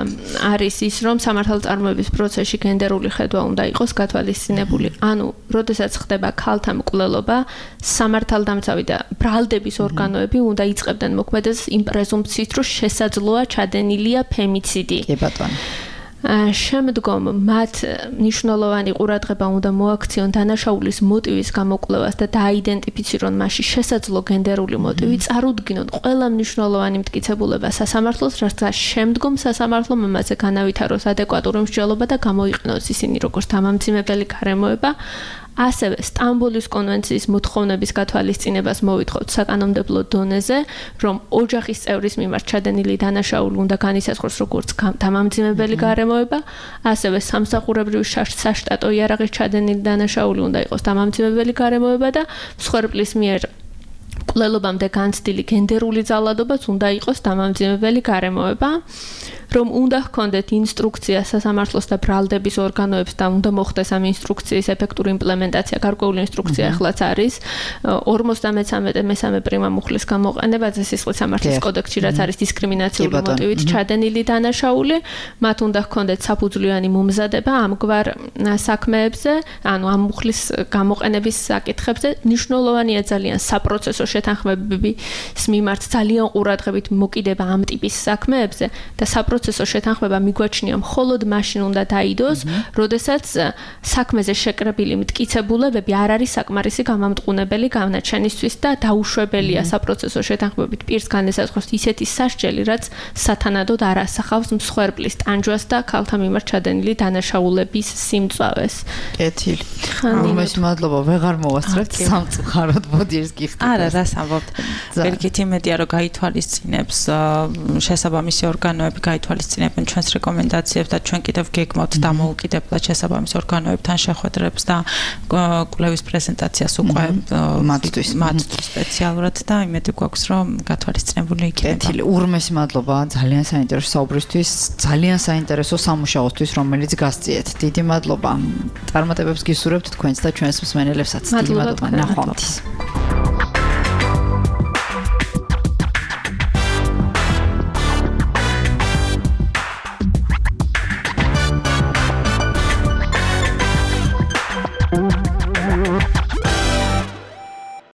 არის ის, რომ სამართალწარმოების პროცესში გენდერული ხედვა უნდა იყოს გათვალისწინებული. ანუ, როდესაც ხდება ქალთა მკვლელობა, სამართალდამცავი და ბრალდების ორგანოები უნდა იწყებდნენ მოქმედებას იმ პრეზუმპციით, რომ შესაძლოა ჩადენილია ფემიციდი. კი ბატონო. შემდგომ მათ მნიშვნელოვანი ყურადღება უნდა მოაქციონ დანაშაულის მოტივის გამოკვლევას და დააიდენტიფიცირონ მასში შესაძლო გენდერული მოტივი, წარუდგინონ ყველა მნიშვნელოვანი მტკიცებულება სასამართლოს, რასაც შემდგომ სასამართლომ ამაზე განავითაროს ადეკვატური მსჯელობა და გამოიყენოს ისინი როგორც დამამძიმებელი გარემოება. ასევე სტამბოლის კონვენციის მოთხოვნების გათვალისწინებას მოვითხოვთ საკანონმდებლო დონეზე, რომ ოჯახის წევრის მიმართ ჩადენილი დანაშაული უნდა განისაზღვროს როგორც დამამძიმებელი გარემოება, ასევე სამსახურებრივი საშტატო იარაღის ჩადენილი დანაშაული უნდა იყოს დამამძიმებელი გარემოება და მსხვერპლის მიერ მკვლელობამდე განცდილი გენდერული ძალადობაც უნდა იყოს დამამძიმებელი გარემოება. რომ უნდა ჰქონდეთ ინსტრუქცია სასამართლოს და ბრალდების ორგანოებს და უნდა მოხდეს ამ ინსტრუქციის ეფექტური იმპლემენტაცია. გარკვეული ინსტრუქცია ახლაც არის 53 მესამე პრიმა მუხლის გამოყენებაზე სისხლის სამართლის კოდექსში, რაც არის დისკრიმინაციული მოტივით ჩადენილი დანაშაული. მათ უნდა ჰქონდეთ საფუძვლიანი მომზადება ამგვარ საქმეებზე, ანუ ამ მუხლის გამოყენების საკითხებზე. მნიშვნელოვანია ძალიან საპროცესო შეთანხმებების მიმართ ძალიან ყურადღებით მოკიდება ამ ტიპის საქმეებზე და საპროცესო შეთანხმება მიგვაჩნია მხოლოდ მაშინ უნდა დაიდოს, როდესაც საქმეზე შეკრებილი მტკიცებულებები არ არის საკმარისი გამამტყუნებელი განაჩენისთვის და დაუშვებელია საპროცესო შეთანხმებით პირს განესაზღვროს ისეთი სასჯელი, რაც სათანადოდ არ ასახავს მსხვერპლის ტანჯვას და ქალთა მიმართ ჩადენილი დანაშაულების სიმწვავეს. კეთილი. უმეტეს მადლობა, ვეღარ მოვასწრებთ სამწუხაროდ, მოდი ეს გიხდით. არა, რას ამბობთ? ვერგით იმედია, რომ გაითვალისწინებს შესაბამისი ორგანოები გაითვალისწინებენ ჩვენს რეკომენდაციებს და ჩვენ კიდევ გეგმავთ დამოუკიდებლად შესაბამის ორგანოებთან შეხვედრებს და კვლევის პრეზენტაციას უკვე მათთვის სპეციალურად და იმედი გვაქვს, რომ გათვალისწინებული იქნება. კეთილი, ურმესი მადლობა ძალიან საინტერესო საუბრისთვის, ძალიან საინტერესო სამუშაოსთვის, რომელიც გასწიეთ. დიდი მადლობა. წარმატებებს გისურვებთ თქვენს და ჩვენს მსმენელებსაც. დიდი მადლობა. ნახვამდის.